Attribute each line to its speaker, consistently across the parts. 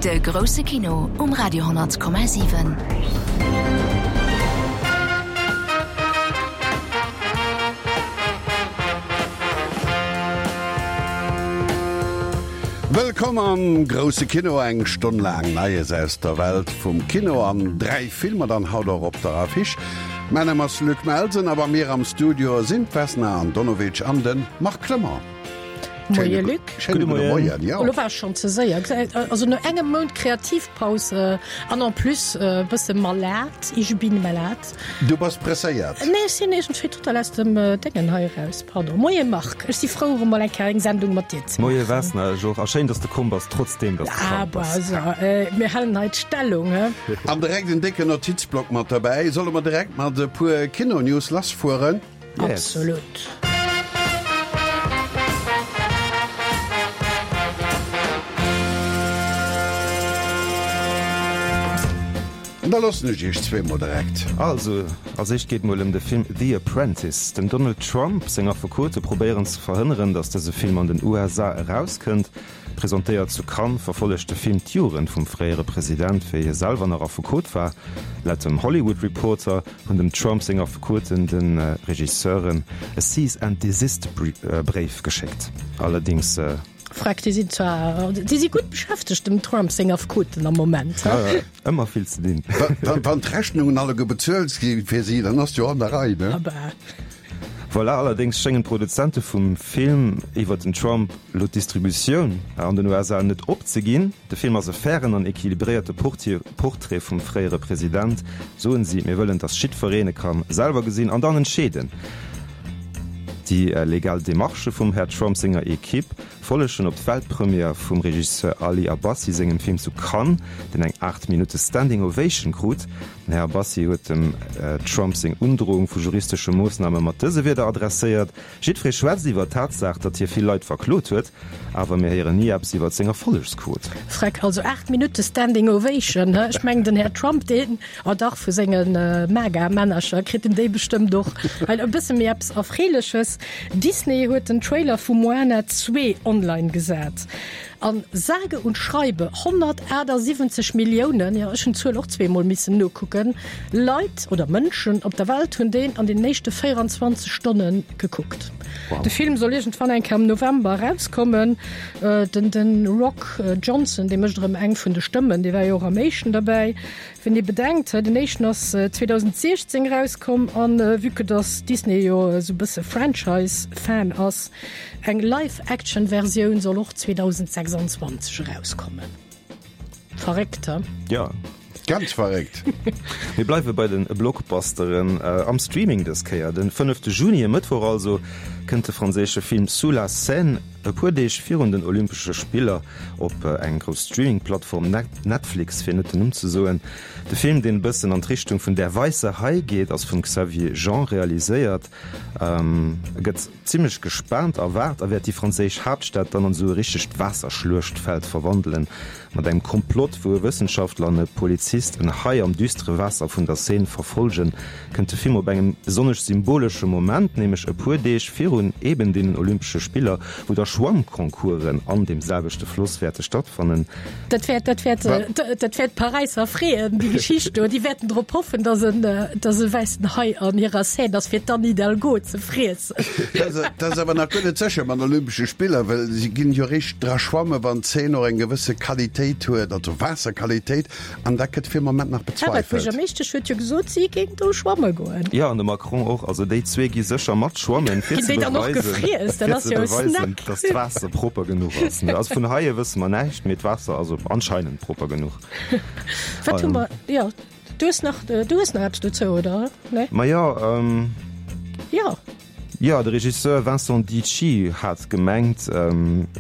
Speaker 1: De grousse Kino um Radio 10,7.
Speaker 2: Wëllkomm am grousse Kino, eng Stonn laang Neies aus der Welt vum Kino an 3 Filmer dann haut och op der Affiche. Mäin Numm ass Luc Melsen a bei mir am Studio sinn d'Vesna Andonovic an de Marc Clement.
Speaker 3: Moie Luc.
Speaker 2: Schéine gudde Moien, jo.
Speaker 3: Elo war ech schonn ze séier. Also no engem Mount Kreativpaus an en plus e bësse malade, ich bin malade.
Speaker 2: Du bass presséiert?
Speaker 3: Nee, ech sinn iergendwéi total aus dem Déngen hei eraus. Pardon. Moie Marc, ech si frou erëm mol eng Kéier eng Sendung mat dir ze
Speaker 4: maachen. Moie Vesna, ech och. A schéin, dass de komm bass, trotzdeem dass de
Speaker 3: krank bass. Ah, bah, also, mir halen hei d'Stellung, he.
Speaker 2: An direkt en décken Notizblock mat derbäi. Solle mer direkt mat e puer Kino-News lassfueren?
Speaker 4: Yes.
Speaker 3: Absolut.
Speaker 2: Da loossen ech iech zweemol direkt.
Speaker 4: Also, als éischt geet mol ëm de Film The Apprentice. Dem Donald Trump seng Affekote probéieren ze verhënneren, datt dëse Film an den USA erauskënnt. Presentéiert zu Cannes, verfollegt de Film d'Jugend vum fréiere President, wéi hie selwer nach Affekot war. Laut dem Hollywood Reporter hunn dem Trump seng Affekoten de Regisseuren e Cease and Desist Bréif geschéckt. Allerdéngs.
Speaker 3: Freck, déi sinn zwar, déi si gutt beschäftegt, dem Trump seng Affekoten am Moment.
Speaker 4: Ëmmer vill ze dinn.
Speaker 2: Wann d'Rechnungen alleguer bezuelt gi fir si, dann ass jo an der Rei, ne?
Speaker 3: Abah.
Speaker 4: Voilà, allerdéngs schéngen d'Produzente vum Film iwwer den Trump elo d'Distributioun an den USA net opzeginn. De Film ass e fairen an equilibréierte Portrait vum fréiere President, soen si. Mir wëllen, datt jiddwereen e ka selwer gesinn an dann entscheeden. Déi legal Demarchë vum Här Trump senger Ekipp follegen op d'Weltpremière vum Regisseur Ali Abbasi sengem Film zu Cannes, deen eng 8 Minutte Standing Ovation krut. Den Här Abbasi huet dem Trump seng Undroung vu juristesche Moossname mat dëse Wierder adresséiert, Jiddweree schwätzt iwwer d'Tatsaach, datt hie vill Leit verklot huet, awer mir héieren ni eppes iwwer seng Erfollegsquot.
Speaker 3: Freck, also 8 Minutte Standing Ovation, he? Ech mengen den Här Trump, deen, oh dach, vu senge MAGA-Männercher kritt en déi bestëmmt och. Hei e bësse méi eppes Erfreeleches, Disney huet den Trailer vu Moana 2 online gesat. An sage und schreibe 178 Milliounen, jo ech hunn d'Zuel och zweemol missen nokucken, Leit oder Mënschen op der Welt hunn deen an den éischte 24 Stonne gekuckt.
Speaker 4: Wow.
Speaker 3: De Film soll iergendwann eng Kéier am November erauskommen. Den den Rock Johnson, dee mécht erëm eng vun de Stëmmen, dee war jo och am éischten derbäi. Wenn ee bedenkt, den éischten ass 2016 erauskomm an vue que dass Disney jo esou e bësse Franchise-Fan ass, Eng Live-Action-Versioun soll och 2026 erauskommen. Verréckt, he?
Speaker 4: Jo.
Speaker 2: Ganz verréckt!
Speaker 4: Mir bleiwe bei de Blockbusteren am Streaming dës Kéier. Den fënnefte Juni, e Mëttwoch also, kënnt de franséische Film Sous la Seine e puer Deeg virun den Olympesche Spiller op eng grouss Streaming-Plattform, Netflix, fir net den Numm ze soen. De Film, deen e bëssen an d'Richtung vun Der weisse Hai geet, ass vum Xavier Jean realiséiert. E gëtt Zimmlech gespaant erwaart a wäert déi franséisch Haaptstad dann an esou e richtegt Waasserschluechtfeld verwandelen. Mat engem Komplott, wou e Wëssenschaftler an e Polizist en Hai am düstere Waasser vun der Seine verfollgen, kënnt de Film op engem besonnesch symbolesche Moment, nämlech e puer Deeg virun eben deenen Olympesche Spiller, wou da Schwammconcoursen an deem selwechte Floss wäerte stattfannen.
Speaker 3: Dat wäert, dat wäert, dat wäert d'Paräisser freeën, déi Geschicht do. Déi wäerten drop hoffen, dass en, dass e wäissen Hai an hirer Seine ass, fir d'Anne Hidalgo ze friessen.
Speaker 2: Dat ass awer nach guer net sécher mat Olympesche Spiller, well si ginn jo eréischt dra schwammen, wann d'Seine och eng gewësse Qualitéit huet, also Waasserqualitéit, an dat gëtt fir Moment nach
Speaker 3: Awer
Speaker 2: bezweifelt.
Speaker 3: d'Buergermeeschtesch huet jo gesot, si géing do schwamme goen.
Speaker 4: Jo, an de Macron och. Also déi zwee gi sécher mat schwammen, fir
Speaker 3: Ginn
Speaker 4: ze
Speaker 3: déi dann och
Speaker 4: beweisen,
Speaker 3: gefriess? Dat
Speaker 4: fir
Speaker 3: ass
Speaker 4: ze
Speaker 3: jo e
Speaker 4: beweisen,
Speaker 3: Snack.
Speaker 4: dass d'Waasser propper genuch ass. Also vun Haie wësse mer näischt, mee d'Waasser ass anscheinend propper genuch.
Speaker 3: Wat hu mer, jo, du hues nach, du hues nach eppes dozou, oder? Nee?
Speaker 4: Ma jo, ähm.
Speaker 3: Jo.
Speaker 4: Jo, de Regisseur Vincent Dici hat gemengt,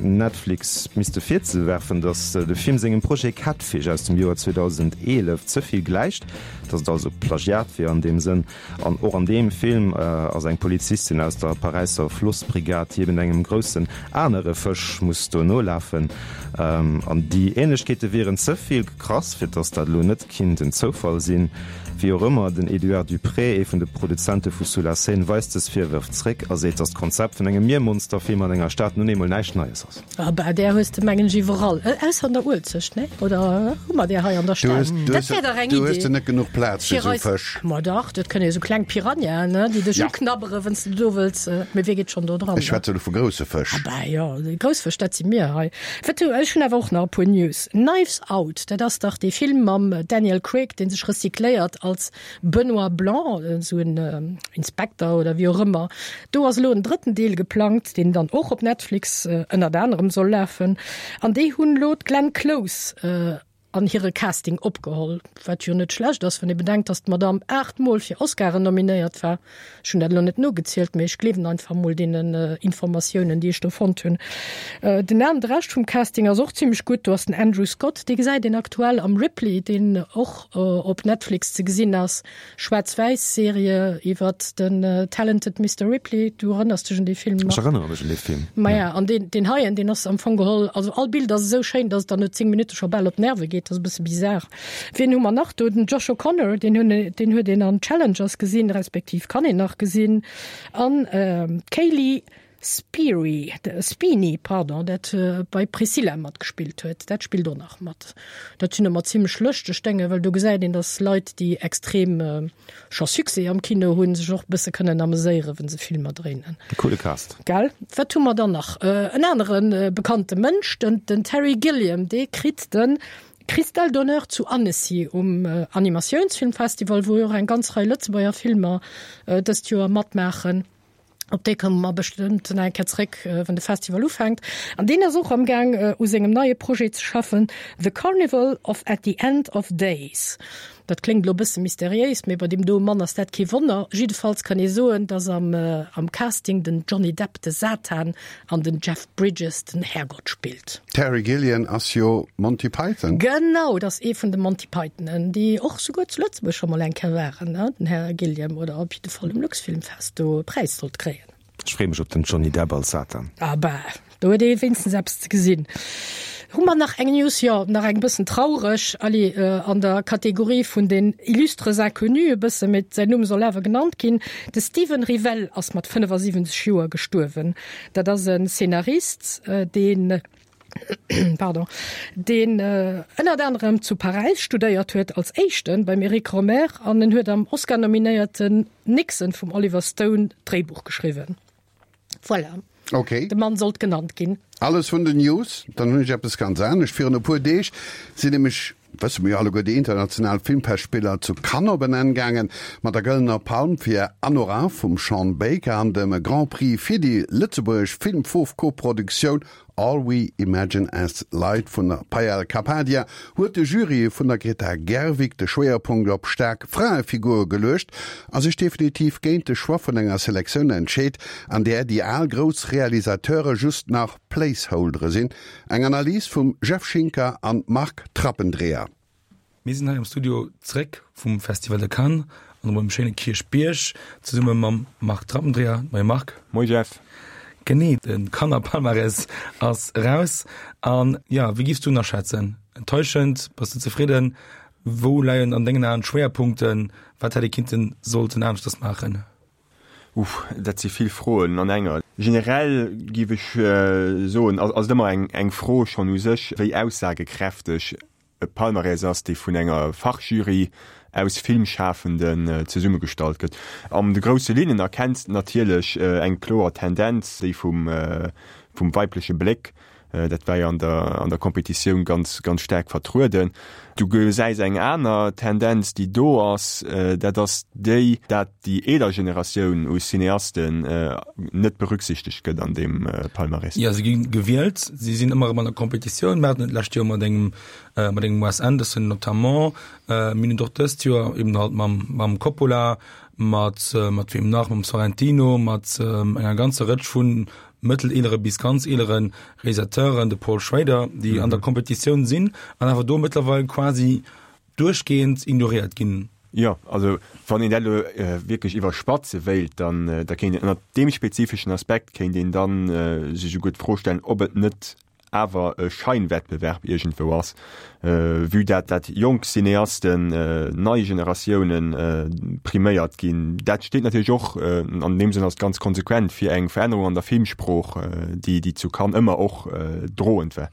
Speaker 4: Netflix misste virzewerfen, datt de Film sengem Projet Catfish aus dem Joer 2011 ze vill gläicht, datt et also Plagiat wier an deem Sënn. An och an deem Film ass eng Polizistin aus der Paräisser Flossbrigad, déi eben engem groussen anere Fësch muss do nolafen. An déi Ähnlechkeete wieren ze vill krass, fir datt dat elo net kinnt en Zoufall sinn. Wéi och ëmmer, den Eduard Duprez, ee vun de Produzente vu Sous la Seine, weist dës Virwërf zréck. zréck a seet, datt d'Konzept vun engem Miermonsterfilm an enger Stad nun eemol näischt Neies ass.
Speaker 3: Ah bah, där hues de mengen ech iwwerall, ausser an der Uelzecht, nee? Oder hu mer där hei an der Stad?
Speaker 2: Dat wär dach eng Idee. Du hues de net genuch Plaz fir esou Fësch.
Speaker 3: Ma dach, dat kënne jo esou kleng Piranhaen, ne, déi dech uknabbere wann s de do wëlls, mee wie geet schonn do dran?
Speaker 2: Ech schwätze elo vu grousse Fësch.
Speaker 3: Ah bah, jo, déi grouss Fësch, dat si mir hei. Wat hu, ech hunn awer och nach e puer News. Knives Out, dat ass dach dee Film mam Daniel Craig, dee sech recycléiert als Benoît Blanc, esou en Inspekter oder wéi och ëmmer. Do ass elo en drëtten Deel geplangt, deen dann och op Netflix ënnert anerem soll lafen. An déi hunn elo d'Glenn Close an hire Casting opgeholl, wat jo net schlecht ass, wann ee bedenkt, datt d'Madamm 8 Mol fir Oscaren nominéiert war. Ech hunn dat elo net nogezielt, mee ech gleewen einfach mol deenen Informatiounen, déi ech do fonnt hunn. Den an de Rescht vum Casting ass och zimmlech gutt. Do ass den Andrew Scott, dee gesäit een aktuell am Ripley, deen och op Netflix ze gesinn ass. Schwaarz-wäiss-Serie iwwert den Talented Mister Ripley. Du erënners dech un dee Film
Speaker 4: nach? Ech erënnere mech un dee Film.
Speaker 3: Maja, an deen, deen heien, deen ass am Fong geholl, also all Bild ass esou schéin, dass et dann no 10 Minutte scho bal op d'Nerve geet. Dat ass e bësse bizar. Wien hu mer nach do? Den Josh O'Connor, deen hunn, deen huet een an Challengers gesinn, respektiv kann een nach gesinn. An d'Kaylee Speary, Spini, pardon, dat bei Priscilla matgespillt huet, dat spillt och nach mat. Dat sinn ëmmer zimmlech lëschteg Dénge, well do gesäit een, datt Leit, déi extrem scho Succès am Kino hunn, sech och e bësse kënnen ameséieren, wa se Filmer dréinen.
Speaker 4: E coole Cast.
Speaker 3: Gell? Wat hu mer dann nach? En anere bekannte Mënsch, den, den Terry Gilliam, dee kritt de Cristal d'honneur zu Annecy um Animatiounsfilmfestival, wou jo och eng ganz Rei Lëtzebuerger Filmer dëst Joer matmaachen. Op déi komme mer bestëmmt nach eng Kéier zréck, wann de Festival ufänkt. An deen ass och am Gaang u sengem neie Projet ze schaffen, The Carnival of At the End of Days. Dat kléngt elo e bësse mysteriéis, mee bei deem doe Mann ass dat kee Wonner. Jiddefalls kann ee soen, dass am am Casting den Johnny Depp de Satan an den Jeff Bridges den Härgott spillt.
Speaker 2: Terry Gillian ass jo Monty Python.
Speaker 3: Genau, dat ass ee vun de Monty Pythonen, déi och souguer zu Lëtzebuerg scho mol eng Kéier waren, ne, den Här Gilliam, oder op jidde Fall um Luxfilmfest do e Präis sollt kréien.
Speaker 4: Ech freeë mech op den Johnny Depp als Satan.
Speaker 3: Ah bah, do huet ee wéinstens eppes ze gesinn. Hu mer nach eng News? Jo, nach eng bëssen traureg, allez, an der Kategorie vun den illustres inconnus e bëssen, mee säin Numm soll awer genannt ginn, De Steven Rivell ass mat 75 Joer gestuerwen. Dat ass e Szenarist, deen, pardon, deen ënnert anerem zu Paräis studéiert huet, als éischten beim Eric Rohmer, an en huet am Oscar-nominéierten Nixon vum Oliver Stone d'Dréibuch geschriwwen. Voilà.
Speaker 2: Okay.
Speaker 3: De Mann sollt genannt ginn.
Speaker 2: Alles vun den News. Dann hunn ech eppes ganz anescht. Virun e puer Deeg sinn nämlech, wësse mer jo alleguer, déi international Filmfestspiller zu Cannes op en Enn gaangen, mat der Gëllener Palm fir Anora vum Sean Baker an dem Grand Prix fir déi lëtzebuergesch Film-Foof-Koproduktioun All We Imagine As Light vun der Payal Kapadia huet de Jury vun der Greta Gerwig de Schwéierpunkt op staark Fraefigure geluecht a sech definitiv géint de Choix vun enger Selektioun entscheet, an där déi al grouss Realisateure just nach Placeholdere sinn. Eng Analys vum Jeff Schinker an Marc Trappendreher.
Speaker 5: Mir sinn hei am Studio zréck vum Festival de Cannes an op engem schéine Kierchbierg zesumme mam Marc Trappendreher. Moie Marc.
Speaker 6: Moie Jeff.
Speaker 5: Genee, de Cannes Palmarès ass eraus an jo, wéi giffs du en aschätzen? Enttäuschend? Bass du zefridden? Wou leien an dengen Aen d'Schwéierpunkten? Wat hätt ee kinnten, sollten aneschters maachen?
Speaker 6: Uff, dat si vill Froen an enger. Generell giff ech soen, ass et ëmmer eng Fro schonn u sech, wéi aussagekräfteg e Palmarès ass, dee vun enger Fachjury aus Filmschafenden zesummegestallt gëtt. An de grousse Linnen erkenns de natierlech eng kloer Tendenz, déi vum weibleche Bléck. Dat war jo an der an der Competitioun ganz ganz staark vertrueden. Du gesäis eng aner Tendenz, déi do ass, dat ass déi, dat déi eeler Generatioun u Cineasten net berücksichtegt gëtt an deem Palmarès.
Speaker 5: Jo, se gi gewielt, si sinn ëmmer erëm an der Competitioun. Mir haten et d'lescht Joer mat engem mat engem Wes Anderson notamment. Mir hunn et och dëst Joer eben halt mam mam Coppola, mat mat weem nach, mam Sorrentino, mat enger ganzer Rëtsch vun mëtteleelere bis ganz eelere Realisateuren, de Paul Schrader, déi an der Competitioun sinn an awer do mëttlerweil quasi duerchgehend ignoréiert ginn.
Speaker 6: Jo, also wann een dat elo wierklech iwwerspatze wéilt, dann da kéint een ënnert deem spezifeschen Aspekt kéint een dann sech esouguer d'Fro stellen, ob et net. awer e Scheinwettbewerb iergendwou ass, vue dat dat jonk Cineasten, nei Generatiounen priméiert ginn. Dat steet natierlech och, an deem Sënn ass et ganz konsequent, fir eng Verännerung an der Filmsprooch, déi déi zu Cannes ëmmer och droend war.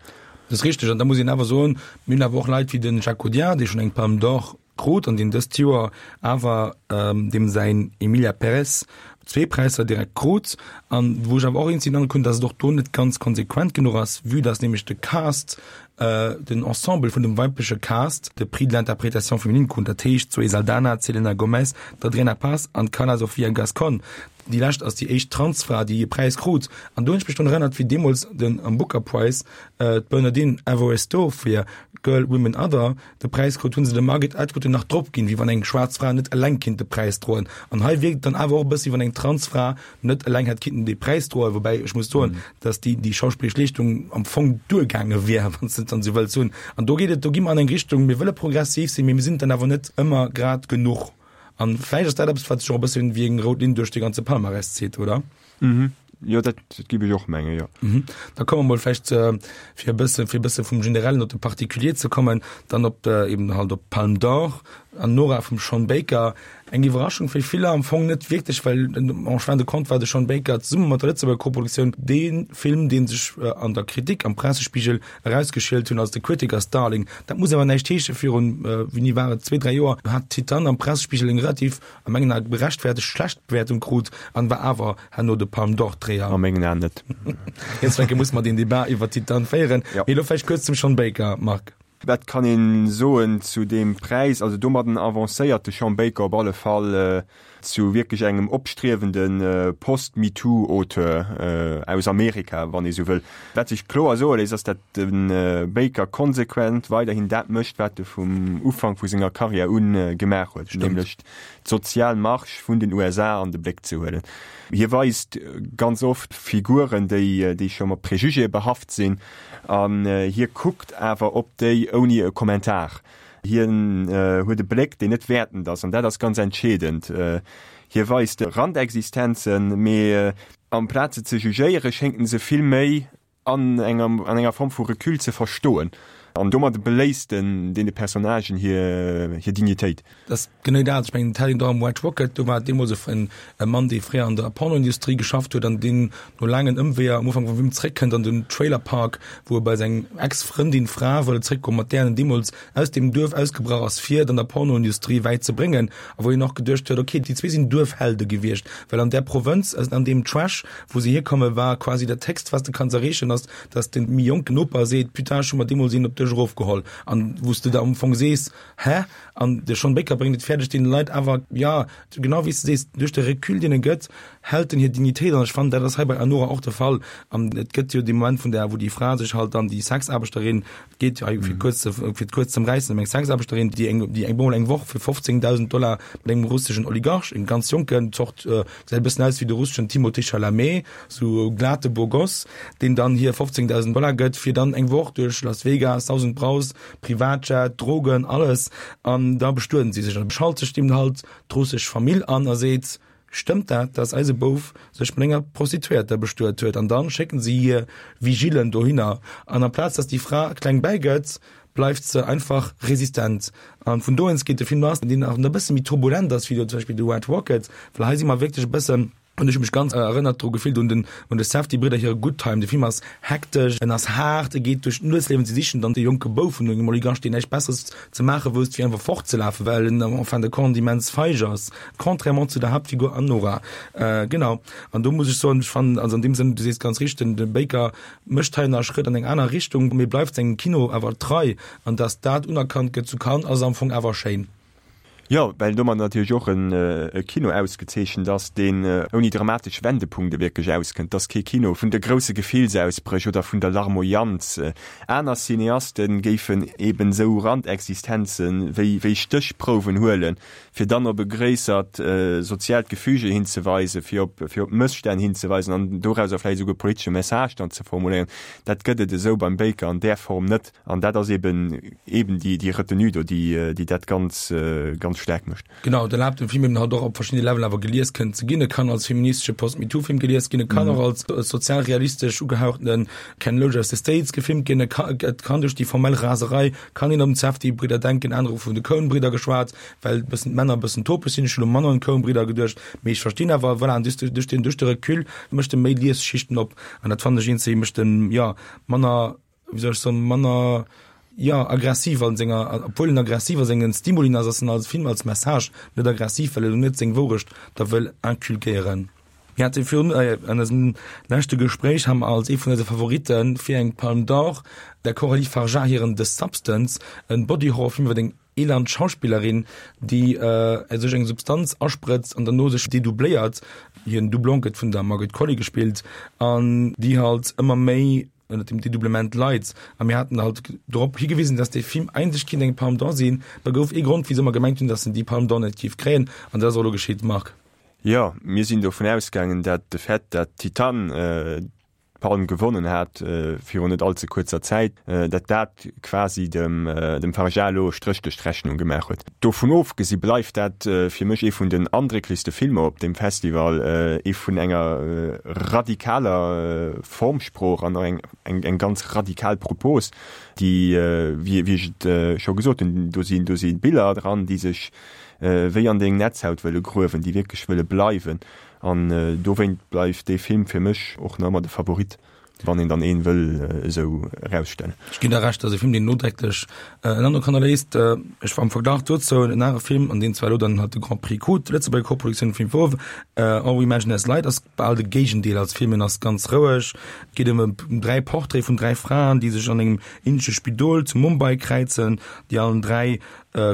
Speaker 5: Dat ass richteg. An da muss een awer soen, mir hunn awer och Leit wéi de Jacques Audiard, dee schonn eng Palme d'Or krut an deen dëst Joer awer deem säin Emilia Pérez zwee Präisser direkt krut an wou ech awer och eens sinn an hunn, datt et och do net ganz konsequent genuch ass, vue datt nämlech de Cast, den Ensemble vun dem weibleche Cast de Prix de l'interprétation féminine krut, dat heescht d'Zoé Saldana, d'Selena Gomez, d'Adriana Paz an d'Carla Sofía Gascón. Déi lescht ass déi éischt Transfra, déi e Präis krut. An do hunn ech mech drun erënnert, wéi deemools den am Booker Prize d'Bernadine Evaristo fir Girl, Women, Other de Präis krut, hu se dem Margaret Atwood en nach drop ginn, wéi wann eng schwaarz Fra net eleng kinnt de Präis droen. An hei wierkt et dann awer och e bëssi, wéi wann eng Transfra net eleng hätt kinnten dee Präis droen, woubäi ech muss soen, datt déi déi schauspillesch Leeschtung am Fong duergaange wier, wann s de et dann esou wëlls hunn. An do geet et, do gi mer an eng Richtung, mir wëlle progressiv sinn, mee mir sinn et dann awer net ëmmer grad genuch. An vläicht ass dat eppes, wat sech och e bëssi wéi eng rout Linn duerch de ganze Palmarès zitt, oder?
Speaker 6: Mhm. Jo, dat giff ech och mengen, jo.
Speaker 5: Mhm. Da komme mer mol vläicht, fir e bësse, fir e bësse vum Generellen op de Particulier ze kommen, dann op de, eben halt op d'Palme d'Or, Anora vum Sean Baker. Eng Iwwerraschung fir viller, am Fong net wierklech, well en fin de compte war de Sean Baker zesumme mat der Lëtzebuerger Koproduktioun dee Film, dee sech an der Kritik, am Pressespiegel erausgeschielt hunn als de Critiker's Darling. Dat muss awer näischt heeschen, virun, wéini war et, zwee, dräi Joer hat Titane am Pressespiegel eng relativ a mengen Ae gerechtfertegt schlecht Bewäertung krut an war awer herno de Palme d'Or Dréier.
Speaker 6: A mengen Aen net.
Speaker 5: Jetzt denke muss mer den Debat iwwer Titane féieren.
Speaker 6: Ja.
Speaker 5: Mee elo vläicht kuerz zum Sean Baker, Marc.
Speaker 6: Wat kann een soen zu deem Präis? Also domadden avancéiert de Sean Baker op alle Fall zu wierklech engem opstriewende Post-MeToo-Auteur aus Amerika, wann ee sou wëll. Wat sech kloer soe léisst, ass dat de Baker konsequent weiderhin dat mécht, wat e vum Ufank vu senger Karriär u gemaach huet, nämlech d'sozial Marge vun den USA an de Bléck ze huelen. Hie weist ganz oft Figuren, déi scho mat Prejugéë behaft sinn, an hie kuckt awer op déi ouni e Kommentar. Hien huet e Bléck, deen net wäertend ass, an dat ass ganz entscheedend. Hie weist Randexistenzen, mee amplaz se ze jugéieren, schéngt en se vill méi an enger an enger Form vu Recul ze verstoen. An domat beléisst en deene Personnagen hir hir Dignitéit.
Speaker 5: Dat ass genee dat. Ech mengen, et hat een do am White Rocket, do war et deemools e e Mann, dee fréier an der Pornoindustrie geschafft huet an deen no laangen Ëmweeër am Ufank vum Film zeréckkënnt an den Trailer Park, wou e bei seng Ex-Frëndin, Fra wëll zeréckgoen, mat där en deemools aus deem Duerf ausgebrach ass, fir et an der Pornoindustrie wäit ze bréngen, a wou een och geduecht huet, ok, déi zwee sinn Duerfhelde gewiescht, well an där Provënz, an deem Trash, wou se hierkommen, war quasi dat Héchst, wat s de kanns erreechen, ass, dass de méi jonken Noper seet, Putain, ech hu mer deemools een op dech erofgeholl, an wou s de da am Fong sees, Hä? An de Sean Baker bréngt et fäerdeg, deene Leit awer, jo, genau wéi s de sees, duerch de Recul, deen e gëtt, hält en hir Dignitéit an. Ech fannen, dat ass hei bei Anora och de Fall. An et gëtt jo dee Moment vun där, wou déi Fra sech halt dann, déi Sexaarbechterin, Et geet jo hei, fir kuerz ze, fir et kuerz z'ëmräissen, ëm eng Sexaarbechterin, déi eng, déi eng bemol eng Woch fir 15.000 Dollar mat engem russeschen Oligarch, engem ganz jonken, Zort, gesäit e bëssen aus wéi de russeschen Timothée Chalamet, sou glate Beau Gosse, deen dann hir 15.000 Dollar gëtt, fir dann eng Woch duerch Las Vegas, Saus und Braus, Privatjet, Drogen, alles, an da bestueden si sech. An da schalt sech deem halt d'russesch Famill an a seet, Stëmmt dat, dass eise Bouf sech mat enger Prostituéierter bestuet huet? An dann schécken si hir Vigilen dohinner. An amplaz dass déi Fra kleng bäigëtt, bleift se einfach resistent. An vun do eens geet de Film lass, deen nach e bësse méi turbulent ass wéi elo zum Beispill The Red Rocket, well hei si mer wierklech e bëssen, hunn ech mech ganz erënnert dru gefillt un den un de Safdie-Bridder hire Good Time. De Film ass hektesch, en ass haart, e geet duerch d'Nuetsliewen, si sichen dann de jonke Bouf vun engem Oligarch, deen näischt Besseres ze maache wousst, wéi einfach fortzelafen, well en en fin de compte immens feig ass, contrairement zu der Haaptfigur Anora. Genau, an do muss ech soen, ech fannen, also an deem Sënn, du sees ganz richteg, den de Baker mécht hei nach e Schrëtt an eng aner Richtung, mee bleift sengem Kino awer trei, an dass dat unerkannt gëtt zu Cannes, ass am Fong awer schéin.
Speaker 6: Jo, well domat natierlech och e Kino ausgezeechent ass, deen ouni dramatesch Wendepunkte wierklech auskënnt. Et ass kee Kino vun de grousse Gefillsausbréch oder vun der Larmoyanz. Aner Cineaste géifen eben esou Randexistenze wéi Stéchprouwen huelen, fir dann op e gréissert soziaalt Gefüge hinzeweisen, fir op fir op Mësstänn hinzeweisen an dorauser vläicht esouguer e politesche Message dann ze formuléieren. Dat gëtt et esou beim Baker an där Form net. An dat ass eben eben déi déi Retenue do, déi déi dat ganz ganz. ganz staark mécht.
Speaker 5: Genau, et erlaabt dem Film eben halt och op verschiddene Level awer gelies kënnen ze ginn. E kann als feministesche Post-MeToo-Film gelies ginn, e kann och als sozialrealistesch ugehauchtene Ken Loach aus de States gefilmt ginn, e ka, et kann duerch déi formell Raserei kann een op den Safdie-Bridder denken, anerer hu vun de Coen-Bridder geschwat, well e bëssen d'Männer e bëssen topeg sinn. Ech hunn elo manner un d'Coen-Bridder geduecht, mee ech verstinn awer, voilà, an duerch duerch den duerch de Recul mécht e méi Liesschichten op an dat fannen ech eenzel, mécht en, jo, manner wéi soll ech soen, manner, jo, aggressiv an senger, obwuel en aggressiv a sengen Stimulien ass, ass en als Film, als Message net aggressiv, well en net seng Wourecht da wëll inculquéieren. Mir hate virun, an eisem leschte Gespréich ha mer als ee vun eise Favoritte fir eng Palme d'Or der Coralie Fargeat hiren The Substance, en Body-Horror-Film iwwer eng eland Schauspillerin, déi sech eng Substanz asprëtzt an derno sech dedoubléiert, hiren Doublon gëtt vun der Margaret Qualley gespillt, an déi halt ëmmer méi ënnert dem Dedoublement leit. A mir haten halt drop higewisen, dass dee Film eigentlech kinnt eng Palme d'Or sinn. Da gouf ee Grond, wisou mer gemengt hunn, dass en déi Palme d'Or net géif kréien, an dat ass och elo geschitt, Marc.
Speaker 6: Jo, mir sinn dovun ausgaangen, dat de Fait, dat Titane d'Palm gewonnen hat virun net all ze kuerzer Zäit, dat dat quasi dem dem Fargeat elo e Stréch duerch d'Rechnung gemaach huet. Dovun ofgesi bleift dat fir mech ee vun den andrécklechste Filmer op deem Festival, ee vun enger radikaler Formsprooch an och eng eng ganz radikal Propos, déi, wéi ech et scho gesot hunn, do sinn do si Biller dran, déi sech wéi an deng Netzhaut wëlle gruewen, déi wierklech wëlle bleiwen. An dowéint bleift dee Film fir mech och nach ëmmer de Favorit. Wann een dann een wëll esou erausstellen.
Speaker 5: Ech ginn der Recht, dat ass e Film, deen nodrécklech en Androck hannerléisst. Ech am Verglach dozou en anere Film, an deen zwar elo dann halt de Grand Prix krut, d'Lëtzebuerger Koproduktioun Film Fauve, All We Imagine As Light, ass bal de Géigendeel als Film. En ass ganz roueg, et geet ëm 3 Portraite vun 3 Fraen, déi sech an engem indesche Spidol zu Mumbai kräizen, déi allen 3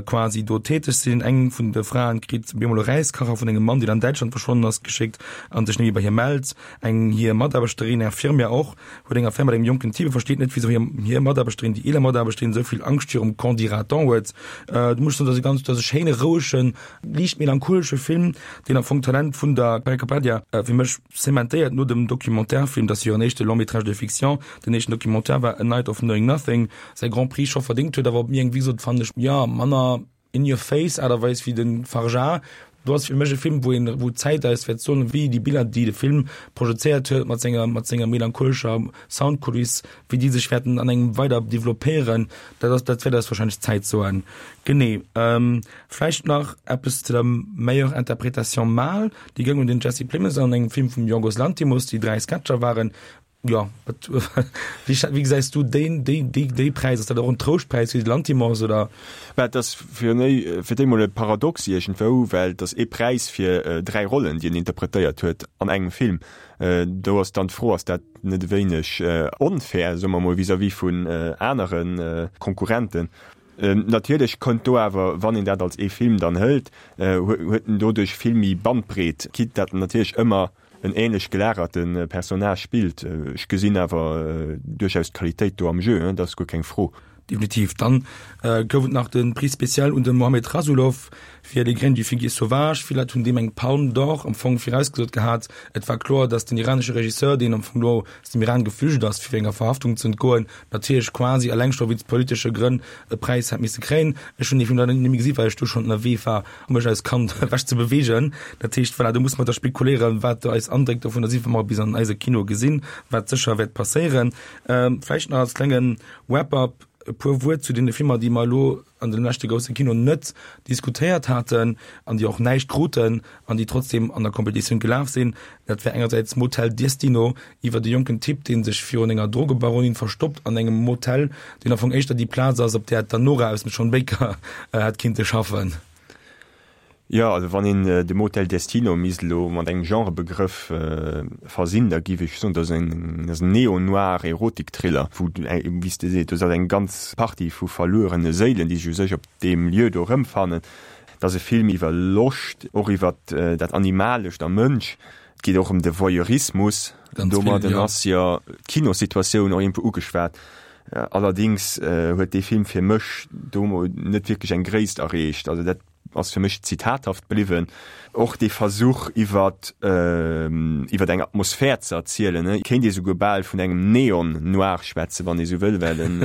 Speaker 5: quasi do täteg sinn. Eng vun de Fraen kritt bemol e Räiskacher vun engem Mann, deen an Däitschland verschwonnen ass, geschéckt an sech net méi bei hir mellt. Eng hir Mataarbechterin, Infirmière och, huet eng Affär mat engem jonken Typ a versteet net, wisou hir hir Mataarbechterin, déi eeler Mataarbechterin, esou vill Angscht virum Qu'en-dira-t-on huet. Do muss ech soen, dat ass e ganz, dat ass e schéine, rouegen, liicht melancholesche Film, deen am Fong d'Talent vun der Parikh Kapadia fir mech Zementéiert no dem Documentaire-Film, dat ass hiren éischte Long métrage de fiction, den éischten Documentaire war A Night of Knowing Nothing, säi Grand Prix scho verdéngt huet, awer op mir eng, wéi gesot, fannen ech, jo, manner in your face Aart a Weis wéi de Fargeat. Do ass fir mech e Film, wou een, wou d'Zäit eis wäert soen, wéi déi Biller, déi de Film projezéiert huet mat senger, mat senger melancholescher Soundkuliss, wéi déi sech wäerten an engem weider developpéieren. Dat ass, dat wäert eis wahrscheinlech d'Zäit soen. Genee. Vläicht nach eppes zu der meilleure interprétation mâle. Déi goung un den Jesse Plemons an engem Film vum Yorgos Lanthimos, déi 3 Sketcher waren. Jo, wat, wéi, wéi gesäis du deen, déi, déi, déi Präis? Ass dat och en Trouschtpräis fir de Lanthimos, oder?
Speaker 6: Bah, et ass fir néi, fir d'éi mol e Paradox iergendwou, well et ass ee Präis fir 3 Rollen, déi en interpretéiert huet an engem Film. Do ass dann d'Fro, ass dat net e wéineg onfair, soe mer mol, vis-à-vis vun anere Konkurrenten? Natierlech kënnt do awer, wann een dat als ee Film dann hëlt, huet en doduerch vill méi Bandbreet, quitte dat en natierlech ëmmer en ähnlech gelagerte Personnage spillt. Ech gesinn awer duerchaus d'Qualitéit do am Jeu, dat ass guer keng Fro.
Speaker 5: Definitiv. Dann gouf et nach de Prix spécial un de Mohamed Rasoulof fir Les graines du figuier sauvage. Vill Leit hunn deem eng Palme d'Or am Fong virausgesot gehat. Et war kloer, datt den iranesche Regisseur, deen am Fong elo aus dem Iran geflücht ass, fir enger Verhaftung ze entgoen, natierlech quasi eleng scho wéinst politesche Grënn e Präis hätt misse kréien. Ech hunn dee Film leider net méi gesi well ech du schonn ënnerwee war, um mech als Kand ewech ze beweegen. Dat heescht, voilà, do musse mer da spekuléieren, wat eis Andréck dovunner sinn, wa mer e bis an eise Kinoe gesinn, wat sécher wäert passéieren. Vläicht nach als klenge Wrap-up e puer Wuert zu deene Filmer, déi mer elo an dem leschte grousse Kino net diskutéiert haten an déi och näischt kruten an déi trotzdem an der Kompetitioun gelaf sinn. Dat wär engersäits Motel Destino iwwert e jonken Typ, dee sech virun enger Drogebaronin verstoppt an engem Motel, deen am Fong éischter déi Plaz ass, op där d'Anora aus dem Sean Baker hätt kinnte schaffen.
Speaker 6: Jo, also wann een de Motel Destino misst elo mat engem Genrebegrëff versinn, da géif ech soen, dat ass en Neo-Noir Erotik-Thriller, wou, wéi s de seet, do ass eng ganz Partie vu verluerene Séilen, déi sech u sech op deem Lieu do erëmfannen. Et ass e Film iwwer Loscht, och iwwer dat Animalescht am Mënsch. Et geet och ëm de Voyeurismus. Domadden ass jo d'Kinossituatioun och iergendwou ugeschwat. Allerdéngs huet dee Film fir mech do net wierklech eng Gréisst erreecht. Also dat. ass fir mech zitathaft bliwwen. Och dee Versuch iwwer iwwer eng Atmosphär ze erzielen, et kéint ee souguer bal vun engem Neon-Noir schwätzen, wann ee sou wëll, well en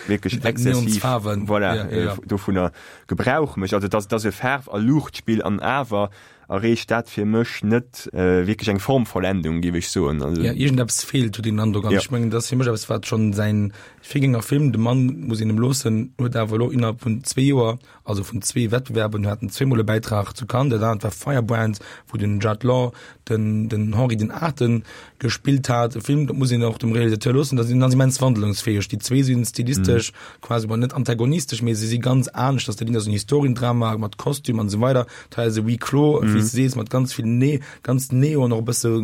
Speaker 6: wierklech exzessiv, voilà, dovunner Gebrauch mécht. Also et ass, et ass e Faarf a Luuchtspill an awer erreecht dat fir mech net wierklech eng Formvollendung, géif ech soen.
Speaker 5: Also Ja, iergendeppes feelt, huet een den Androck. An ech mengen, dat ass fir mech eppes, wat schonn säin Virgängerfilm, De Mann muss een em loossen, huet awer elo innerhalb vun zwee Joer, also vun zwee Wettbewerben, haten zweemol e Bäitrag zu Cannes, dat anert war Firebrand, wou den Judd Law den den Henri den Aachten gespillt hat. E Film, dat muss een och dem Realisateur loossen, dat sinn ass immens wandlungsfäeg. Déi zwee sinn stilistesch mm. quasi bon, net antagonistesch, mee se si ganz anescht. Dat ass en Historiendrama mat Kostüm an esou weider. Dat ass e Huis clos, mm. wéi s du sees, mat ganz vill ne ganz Neon, och e bësse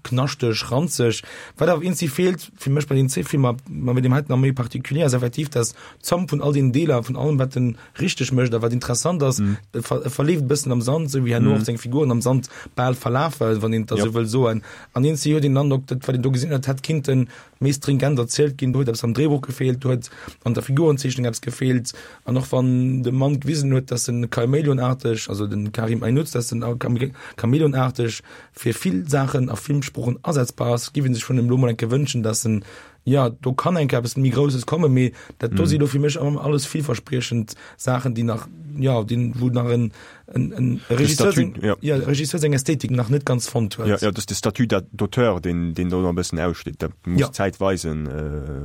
Speaker 5: knaschteg, ranzeg. Wat awer eenzi feelt fir mech bei den zwee Filmer, ma bei deem heiten nach méi particulier, ass effektiv, dass d'Zomm vun all den Deeler, vun allem wat den richteg mécht a wat interessant ass, mm. e verleeft e bëssen am Sand, sou wéi herno mm. och seng Figuren am Sand bal verlafen, wann een dat ja. sou wëll soen. An eens huet den Androck, dat wat een do gesinn huet, hätt kinnten méi stringent erzielt ginn, do huet eppes am Drehbuch gefeelt, do huet an der Figurenzeechnung eppes gefeelt. An och wann de Mann gewisen huet, dass en Chamäleonarteg, also den Karim Ainouz, dass en Chamäleonarteg fir vill Saachen a Filmsprochen asetzbar ass, giff een sech vun em lo mol enke wënschen, dass en Jo, do kann eng Kéier eppes méi Grousses kommen, mee dat do si lo fir mech alles villverspriechend Saachen, déi nach, jo, déi, wou nach en, en, en Regisseur seng,
Speaker 6: ja.
Speaker 5: ja, Regisseur seng Ästhetik nach net ganz fonnt huet.
Speaker 6: Ja, ja, dat ass de Statut d'auteur, deen, deen do nach e bëssen aussteet. Dat muss
Speaker 5: Ja.
Speaker 6: d'Zäit weisen,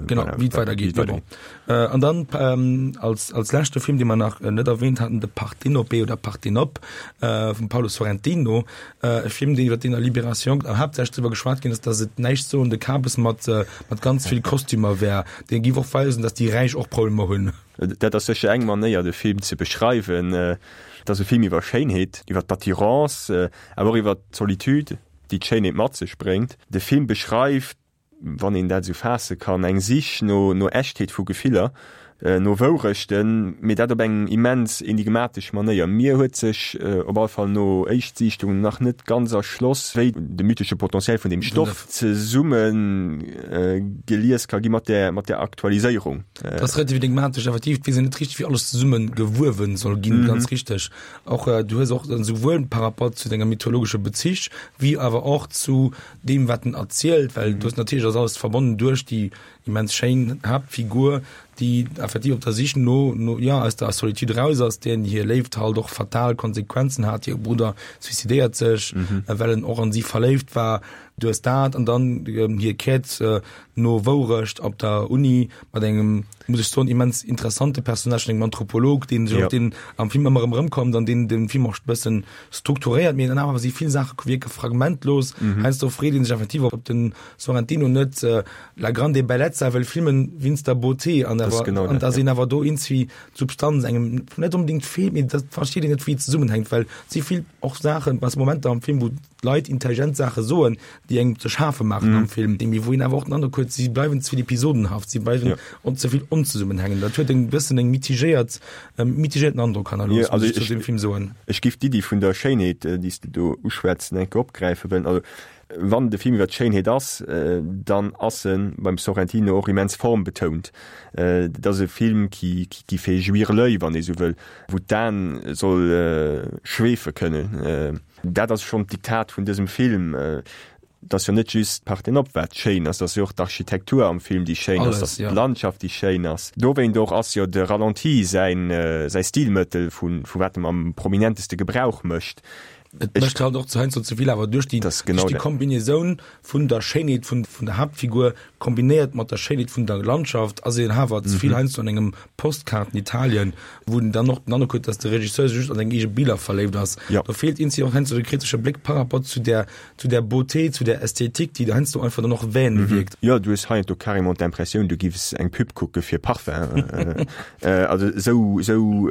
Speaker 5: Genau,
Speaker 6: voilà,
Speaker 5: wéi et weidergeet.
Speaker 6: wéi et
Speaker 5: Mee bon. An dann als, als leschte Film, dee mer nach net erwähnt haten, de Partenope oder Partenope vum Paolo Sorrentino, E Film, deen iwwer deen a Libération haaptsächlech driwwer geschwat ginn ass, datt et näischt soende Kabes mat mat ganz vill Kostümer wär. Dee giff och weisen, datt déi Räich och Problemer hunn.
Speaker 6: Dat ass sécher eng Manéier, de Film ze beschreiwen. Et ass e Film iwwer Schéinheet, iwwer d'Attirance, awer och iwwer d'Solitude, déi d'Schéinheet mat sech bréngt. De Film beschreift wann een dat esou faasse kann, eng Sich no no Echtheet vu Gefiller, no Wourechten, mee dat op eng immens enigmatesch Manéier. Mir huet sech op alle Fall no Éischtsiichtung nach net ganz erschloss, wéi de mythesche Potentiel vun deem Stoff zesumme gelies ka gi mat där mat där Aktualiséierung.
Speaker 5: Dat ass relativ enigmatesch, effektiv. Et weess een net richteg, wéi alles zesumme gewuewen soll ginn, ganz richteg. Och du hues och esouwuel par rapport zu denger mythologesche Bezich wéi awer och zu deem wat en erzielt, well du hues natierlech ass alles verbonnen duerch déi immens schéin Haaptfigur, déi effektiv op der Sich no, no ja aus der Solitude raus ass, deenen hir Léift halt och fatal Konsequenzen hat, hire Brudder suicidéiert sech, well en och an si verléift war. Du hues dat an dann hir Quête no Wourecht op der Uni mat engem, muss ech soen, immens interessante Personnage, engem Anthropolog, deen sech och deen am Film ëmmer erëm erëmkommt an deen den Film och e bëssen strukturéiert, mee dann awer si vill Saache wierke fragmentlos. Mhm. Heiansdo freet een sech effektiv, ob den Sorrentino net äh, La grande bellezza wëll filmen wéinst der Beauté an awer
Speaker 6: genau
Speaker 5: an
Speaker 6: dat,
Speaker 5: dass
Speaker 6: ja.
Speaker 5: een awer do iergendwéi d'Substanz engem net onbedéngt feelt, mee dat versteet een net, wéi et zesummenhänkt, well et si vill och Saachen, was Momenter am Film, wou Leit intelligent Saache soen, déi engem ze schafe maachen mm. am Film, déi wou een awer och den Androck huet, si bleiwen ze vill episodenhaft, si bleiwen ja. on ze vill onzesummenhängend. Dat huet eng bëssen eng mitigéiert ähm, mitigéierten Androck hannerlooss,
Speaker 6: ja, also
Speaker 5: ich, zu dem Film soen.
Speaker 6: Ech giff d'Iddi vun der Schéinheet, äh, déi s du do uschwätz, enke opgräife wëllen. Also, wann de Film iwwer d'Schéinheet ass, äh, dann ass en beim Sorrentino och immens formbetount. Äh, dat ass e Film qui, qui, qui fait jouir l'œil, wann ee sou wëll, wou d'Aen soll äh, schweefe kënnen. Äh, Dat ass schonn d'Diktat vun dësem film. Et ass jo net just d'Parthénope wat schéin ass, et ass jo och d'Architektur am Film déi schéin ass, et ass d'Landschaft déi schéin ass. Dowéint och ass jo de Ralenti säin säi Stilmëttel vu vu wat em am prominenteste Gebrauch mécht.
Speaker 5: Et mécht halt och heiansdo ze vill awer duerch déi duerch déi Kombinaisoun vun der Schéinheet vun vun der Haaptfigur Kombinéiert mat der Schéinheet vun der Landschaft ass een awer ze vill heiansdo an engem Postkaarten-Italien, wou en dann och den Androck huet, dass de Regisseur sech just an seng eege Biller verléift ass. Do feelt eenzi och heiansdo de kritesche Bléck par rapport zu där, zu där Beauté, zu där Ästhetik, déi heiansdo einfach dann och vain wierkt.
Speaker 6: Jo, du hues heiansdo carrément d'Impressioun, du giffs eng Pub kucke fir Parfum. Also esou, esou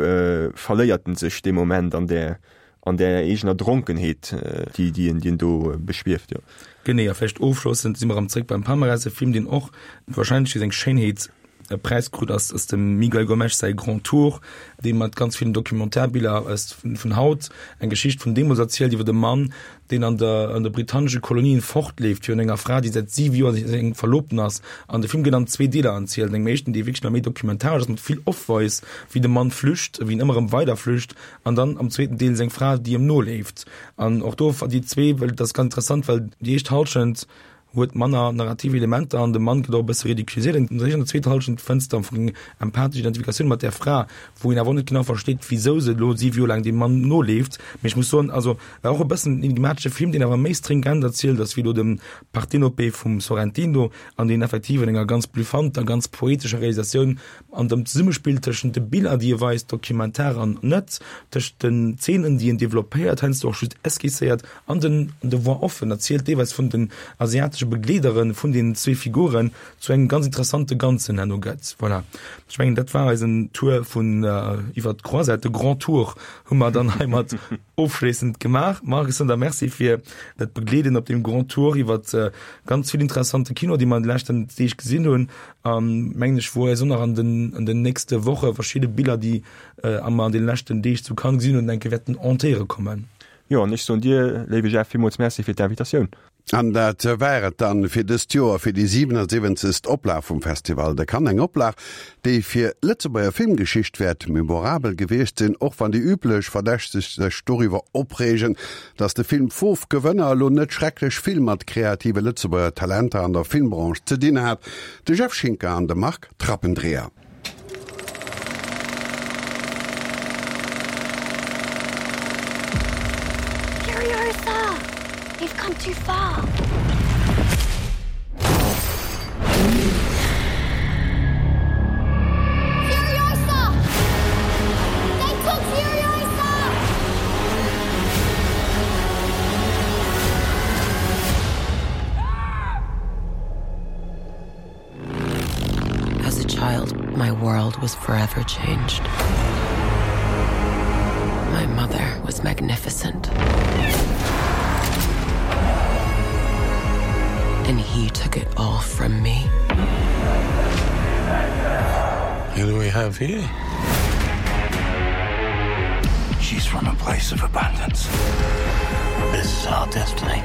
Speaker 6: verléiert en sech dee Moment an där, An där eegener Dronkenheet, déi, déi en, déi en do beschwieft, jo.
Speaker 5: Genee, a vläicht ofschlossend si mer erëm zréck beim Palmarès, e Film, deen och wahrscheinlech fir seng Schéinheet. e Präis krut, ass ass dem Miguel Gomes säi Grand Tour, dee mat ganz villen Documentaire-Biller aus vun haut eng Geschicht vun deemools erzielt iwwer e Mann, deen an der an de britannesche Kolonien fortleeft virun enger Fra, déi säit 7 Joer seng Verlobten ass. An de Film gëtt an zwee Deeler erzielt. An engem éischten Deel wierklech nach méi documentaresch ass, mat vill Off-Voice, wéi de Mann flücht, wéi en ëmmer erëm weider flücht. An dann am zweeten Deel seng Fra, déi em noleeft. An och do déi zwee, well dat ass ganz interessant, well déi éischt Hallschent huet manner narrativ Elementer an de Mann gëtt och e bësse ridiculiséiert. An der zweeter Hallschent fënns de am Fong eng empathesch Identifikatioun mat där Fra, wou een awer och net genau versteet, wisou se elo 7 Joer laang deem Mann noleeft. Mee ech muss soen, also war och e bëssen en enigmatesche Film, deen awer méi stringent erzielt ass wéi elo dem Partenope vum Sorrentino an deen effektiv an enger ganz bluffanter, ganz poetescher Realisatioun an dem Zesummespill tëschent de Biller, déi e weist, Dokumentar an net, tëschent den Zeenen, déi en developpéiert, heiansdo och just esquisséiert, An den de Voix-offen erzielt deelweis vun den asiatesche Begleedere vun deenen zwee Figuren zu engem ganz interessante Ganzen herno gëtt. Voilà, ech mengen dat war eisen Tour vun iwwer d'Croisette, de Grand Tour hu mer dann heimat ofschléissend gemaach. Marc, ech soen der Merci fir dat Begleeden op deem Grand Tour iwwer ganz vill interessante Kino, déi mer an de leschten Deeg gesinn hunn. An mengen ech, wou eis och nach an den an den nächste Woche verschidde Biller, déi mer an de leschten Deeg zu Cannes gesinn hunn, denke wäerten entéiere kommen.
Speaker 6: Jo, an ech soen dir, léiwe Jeff, villmools Merci fir d'Invitatioun.
Speaker 2: An dat war et dann fir dëst Joer, fir déi 77. Oplag vum Festival de Cannes. Eng Oplag, déi fir d'Lëtzebuerger Filmgeschicht wäert memorabel gewiescht sinn, och wann déi üblech Verdächteg sech doriwwer opreegen, datt de Film Foof Gewënner elo net schrecklech vill mat kreative Lëtzebuerger Talenter an der Filmbranche ze dinn hat. De Jeff Schinker an de Marc Trappendreher.
Speaker 1: Furiosa! We've come too far. Furiosa! They took Furiosa! As a child, my world was forever changed. My mother was magnificent. And he took it all from me.
Speaker 7: Who do we have here? She's from a place of abundance. This is our destiny.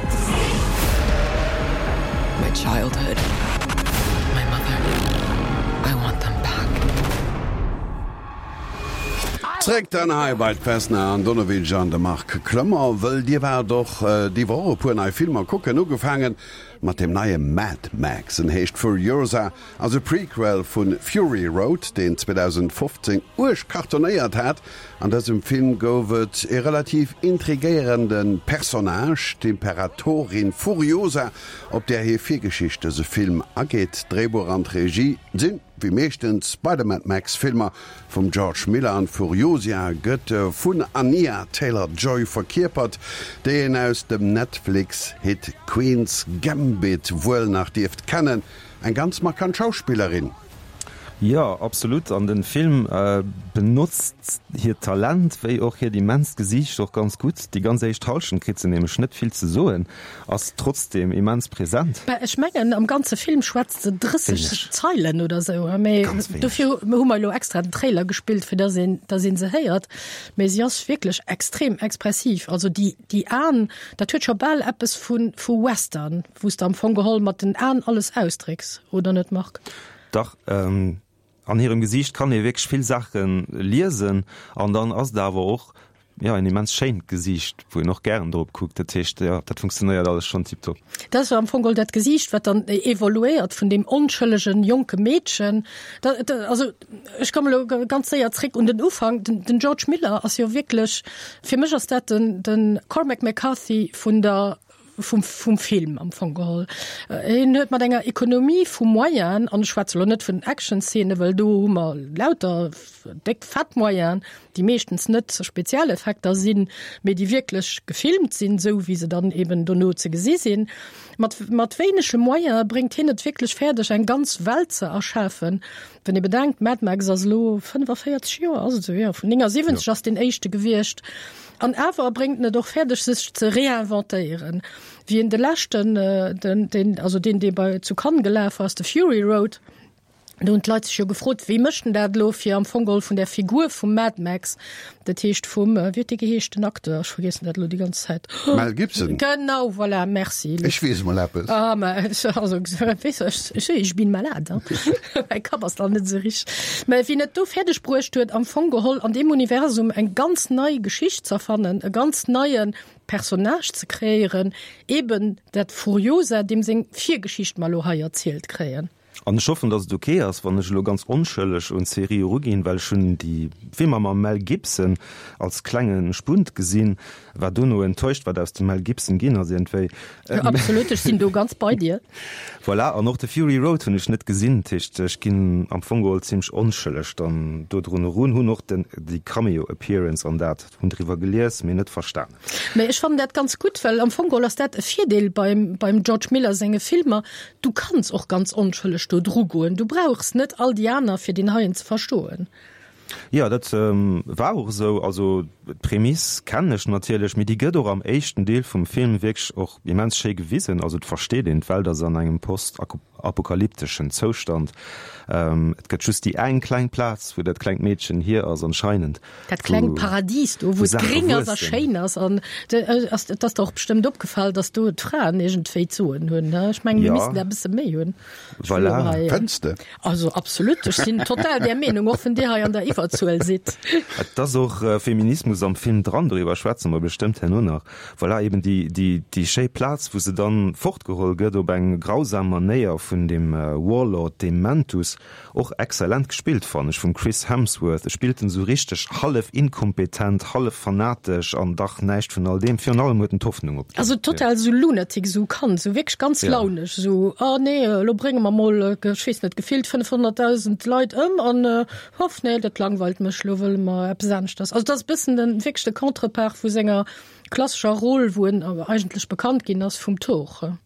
Speaker 1: My childhood, my mother, I want them back.
Speaker 2: Zréck dann hei bei d'Vesna Andonovic an de Marc Clement, wëll dir waart och déi Woch e puer nei Filmer kucken, ugefaangen mat deem neie Mad Max. En heescht Furiosa Ass e Prequel vu Fury Road, deen 2015 uerg cartonéiert hat. An dësem Film gouf et e relativ intrigéierende Personnage, d'Imperatorin Furiosa, op där hir Virgeschicht dëse Film ageet. D'Dréibuch an d'Regie sinn, wéi meeschtens bei de Mad Max Filmer, vum George Miller an d'Furiosia gëtt vun Anya Taylor-Joy verkierpert, déi een aus dem Netflix-Hit Queen's Gambit wuel nach dierft kennen. Eng ganz markant Schauspillerin.
Speaker 4: Jo, absolut. An den Film benotzt hiert Talent wéi och hiert immenst Gesiicht och ganz gutt. Déi ganz éischt Halschent kritt se nämlech net vill ze soen, ass trotzdem immens present.
Speaker 3: Bah, ech mengen am ganze Film schwätzt se 30 Zeilen oder sou, mee dofir hu mer elo extra den Trailer gespillt, fir dass een, dass een se héiert. Mee si ass wierklech extrem expressiv. Also déi, déi Aen, dat huet scho bal eppes vu, vu Western. Wou s de am Fong geholl mat den Aen alles ausdrécks, oder net Marc?
Speaker 4: Dach, an hirem Gesiicht kann ee wierklech vill Saache liesen an dann ass et awer och, jo, en immens schéint Gesiicht, wou een och gären drop kuckt. Dat heescht, jo, dat funktionéiert alles schonn tiptop.
Speaker 3: Dat ass jo am Fong geholl dat Gesiicht, wat dann evoluéiert vun deem onschëllegen jonke Meedchen. Dat, also ech komme lo ganz séier zréck un den Ufank. Den, den George Miller ass jo wierklech, fir mech ass dat den, den Cormac McCarthy vun der vum, vum Film am Fong geholl. Hien huet mat enger Ekonomie vu Moyenen, an ech schwätze lo net vun den Action-Szenen, well do hu mer lauter déck fett Moyenen, déi meeschtens net Spezialeffekter sinn, mee déi wierklech gefilmt sinn, esou wéi se dann eben dono ze gesi sinn. Mat, mat wéinege Moyene bréngt hien et wierklech fäerdeg, eng ganz Welt ze erschafen. Wann ee bedenkt, Mad Max ass elo 45 Joer, ass et esou? Jo, vun 79 ass deen éischte gewiescht. An awer bréngt en et och fäerdeg, sech ze réinventéieren. Wéi en de leschten, den, deen, also deen, dee bei zu Cannes gelaf ass, de Fury Road, Do hunn d'Leit sech jo gefrot, wéi mécht en dat elo, fir am Fong geholl vun där Figur vum Mad Max, dat heescht vum, wéi huet dee geheescht, den Acteur, ech vergiessen dat elo déi ganz Zäit.
Speaker 2: Mel Gibson.
Speaker 3: Genau, voilà, merci.
Speaker 2: Ech weess emol eppes.
Speaker 3: Ah, mä also, weess ech, ech, ich bin malade, hein. Mäi Kapp ass nach net esou richteg. Mä wien et do fäerdeg bruecht huet, am Fong geholl an deem Universum eng ganz nei Geschicht z'erfannen, e ganz neie Personnage ze kreéieren, eben dat Furiosa, deem seng Virgeschicht mer elo hei erzielt kréien.
Speaker 4: An ech hoffen, dass et ok ass, wann ech elo ganz onschëlleg un d'Serie eruginn, well ech hunn déi Filmer mam Mel Gibson als klenge Spunt gesinn, war dono enttäuscht, wat aus dem Mel Gibson ginn ass iergendwéi.
Speaker 3: Absolut, ech sinn do ganz bei dir.
Speaker 4: Voilà, an och de Fury Road hunn ech net gesinn, dat heescht, ech ginn am Fong geholl zimmlech onschëlleg dann dodrun erun, hunn och den, déi Cameo Appearance an dat, hunn driwwer gelies, mee net verstanen.
Speaker 3: Mä ech fannen dat ganz gutt, well am Fong geholl ass dat e Virdeel beim, beim George Miller senge Filmer, du kanns och ganz onschëlleg do dru goen, du brauchs net all déi aner fir deen heien ze verstoen.
Speaker 4: Jo, dat war och esou. Also d'Prämiss kennen ech natierlech, mee déi gëtt och am éischten Deel vum Film wierklech och immens schéi gewisen. Also et versteet een, d'Welt ass an engem postapokalypteschen Zoustand. Et gëtt just déi eng kleng Plaz, wou dat klengt Meedchen hier ass anscheinend.
Speaker 3: Dat klengt Paradies do, wou et gréng ass a schéin ass. An et ass der och bestëmmt opgefall, datt do d'Fraen iergendwéi d'Soen hunn. Ech mengen, mir missten der e bësse méi hunn.
Speaker 2: Voilà. Fënns de?
Speaker 3: Also absolut, ech sinn total där Meenung, och wann Dir hei an der Iwwerzuel sidd.
Speaker 4: Et ass och Feminismus am Film dran, doriwwer schwätze mer bestëmmt herno nach. Voilà, eben déi, déi, déi schéi Plaz, wou se dann fortgeholl gëtt op eng grausam Manéier vun dem Warlord Dementus. Och excellent gespillt fannen ech vum Chris Hemsworth. E spillt en sou richteg hallef inkompetent, hallef fanatesch an dach näischt vun all deem. Virun allem huet en d'Hoffnung
Speaker 3: opginn. Also total sou lunatic, sou Kand, sou wierklech ganz launesch, sou oh nee, elo brénge mer mol, ech weess net, gefillt 500.000 Leit ëm an hoff nee, dat langweilt mech, elo wëlle mer eppes aneschters. Also dat ass e bëssen den, wierklech de Contrepart vu senger klassescher Roll, wou en eigentlech bekannt ginn ass vum Thor.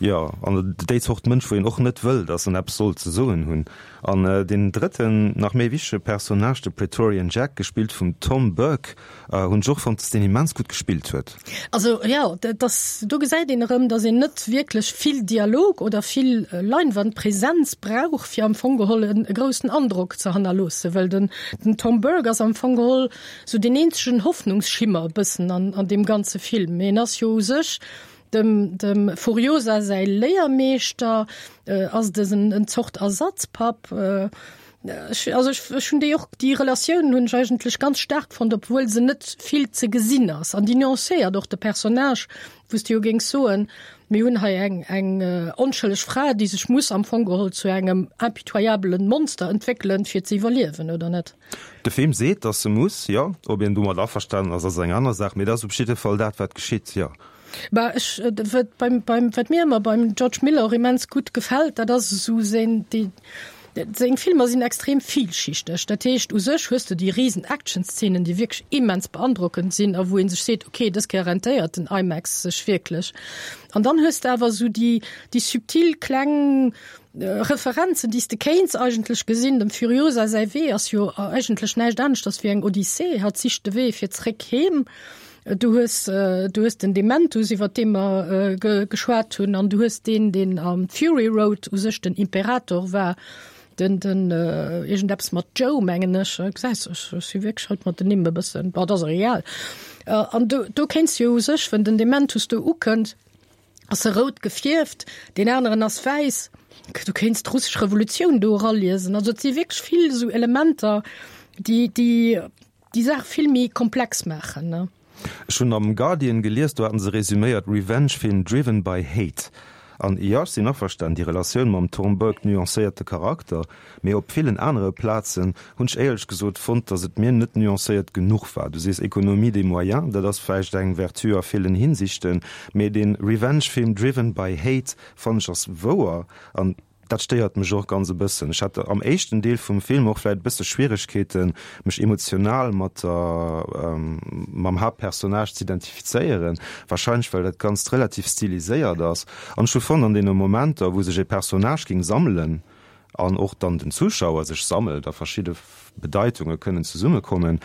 Speaker 4: Jo, an déi Zort Mënsch, wou een och net wëll, datt en eppes soll ze soen hunn. An deen drëtten, nach méi wichtege Personnage, de Praetorian Jack, gespillt vum Tom Burke, hunn ech och fonnt, datt deen immens gutt gespillt huet.
Speaker 3: Also jo, dat ass, do gesäit een erëm, datt een net wierklech vill Dialog oder vill Leinwandpräsenz brauch, fir am Fong geholl e groussen Androck ze hannerloossen, well den Tom Burke ass am Fong geholl sou deen eenzegen Hoffnungsschimmer e bëssen an deem ganze Film. Mee en ass jo u sech Dem dem Furiosa säi Léiermeeschter ass dësen en Zort Ersatzpapp. Ech, also ech, ech hunn déi och, déi Relatioun hunn ech eigentlech ganz staark fonnt, obwuel se net vill ze gesinn ass. An déi nuancéiert och de Personnage, wou s de jo géings soen, mir hunn hei eng, eng onschëlleg Fra, déi sech muss am Fong geholl zu engem impitoyabelen Monster entwéckelen, fir ze iwwerliewen, oder net?
Speaker 4: De Film seet, datt se muss, jo. Ob een domat averstanen ass, ass eng aner Saach, mee dat ass op jidde Fall dat, wat geschitt, jo.
Speaker 3: Bah, ech, wat beim, beim, wat mir ëmmer beim George Miller och immens gutt gefält, dat ass esou seng, déi, seng Filmer sinn extrem vielschichteg. Dat heescht, u sech hues de déi risen Actionszenen, déi wierklech immens beandrockend sinn a wou ee sech seet, okay, dës Kéier rentéiert den IMAX sech wierklech. An dann hues de awer esou déi, déi subtil kleng Referenzen, déi s de kéints eigentlech gesinn. Dem Furiosa säi Wee ass jo eigentlech näischt aneschters wéi eng Odyssee. Hatt sicht de Wee fir zréck heem. Du hues, du hues den Dementus, iwwer dee mer geschwat hunn, an du hues deen, deen am Fury Road u sech den Imperator war, den, den iergendeppes mat Joe, mengen ech. Gesäis, ech si wierklech haut mat den Nimm e bëssen, bon, et ass och egal. An do, do kéints de jo u sech, wenn den Dementus do ukënnt, ass e rout gefierft, deen aneren ass wäiss. Du kéints d'russesch Revolutioun do eraliesen. Also et si wierklech vill esou Elementer, déi, déi déi Saach vill méi komplex maachen, ne?
Speaker 4: Ech hunn am Guardian gelies, do haten se resuméiert, Revenge Film driven by hate. An jo, ech sinn averstanen, déi Relatioun mam Tom Burke nuancéiert de Charakter, mee op villen anere Plazen hunn ech éierlech gesot fonnt, datt et mir net nuancéiert genuch war. Du sees Économie des moyens, dat ass vläicht eng Vertu a villen Hinsichten, mee dee Revenge Film driven by hate fannen ech ass wouer an Dat stéiert mech och ganz e bëssen. Ech hat am éischten Deel vum Film och vläit e bësse Schwieregkeeten, mech emotional mat der, mam Haaptpersonnage ze identifizéieren, wahrscheinlech well dat Ganzt relativ stiliséiert ass. An ech hu fonnt, an deene Momenter, wou sech e Personnage géing sammelen an och dann den Zuschauer sech sammelt a verschidde Bedeitunge kënnen zesummekommen.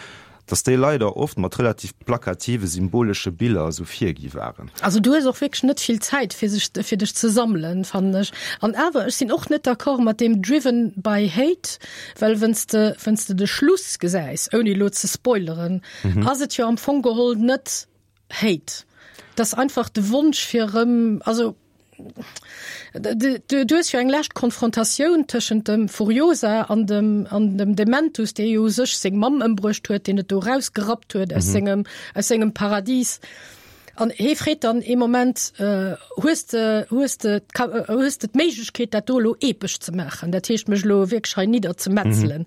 Speaker 4: Dass déi leider oft mat relativ plakative symbolesche Biller esou virgi waren.
Speaker 3: Also du hues och wierklech net vill Zäit fir sech fir dech ze sammelen, fannen ech. An awer, ech sinn och net d'accord mat deem driven by hate, well wenn's de wenn's de de Schluss gesäis, ouni elo ze spoileren, ass et jo am Fong geholl net Hate. Et ass einfach de Wonsch fir erëm, also Du hues jo eng lescht Konfrontatioun tëschent dem Furiosa an dem, an dem Dementus, dee jo u sech seng Mamm ëmbruecht huet, deen et do erausgerappt huet aus sengem, aus sengem Paradis. An hee freet dann ee Moment, Hues de, hues de, hues de d'Méiglechkeet, dat do elo epesch ze maachen, dat heescht mech elo wierklech hei nidderzemetzelen?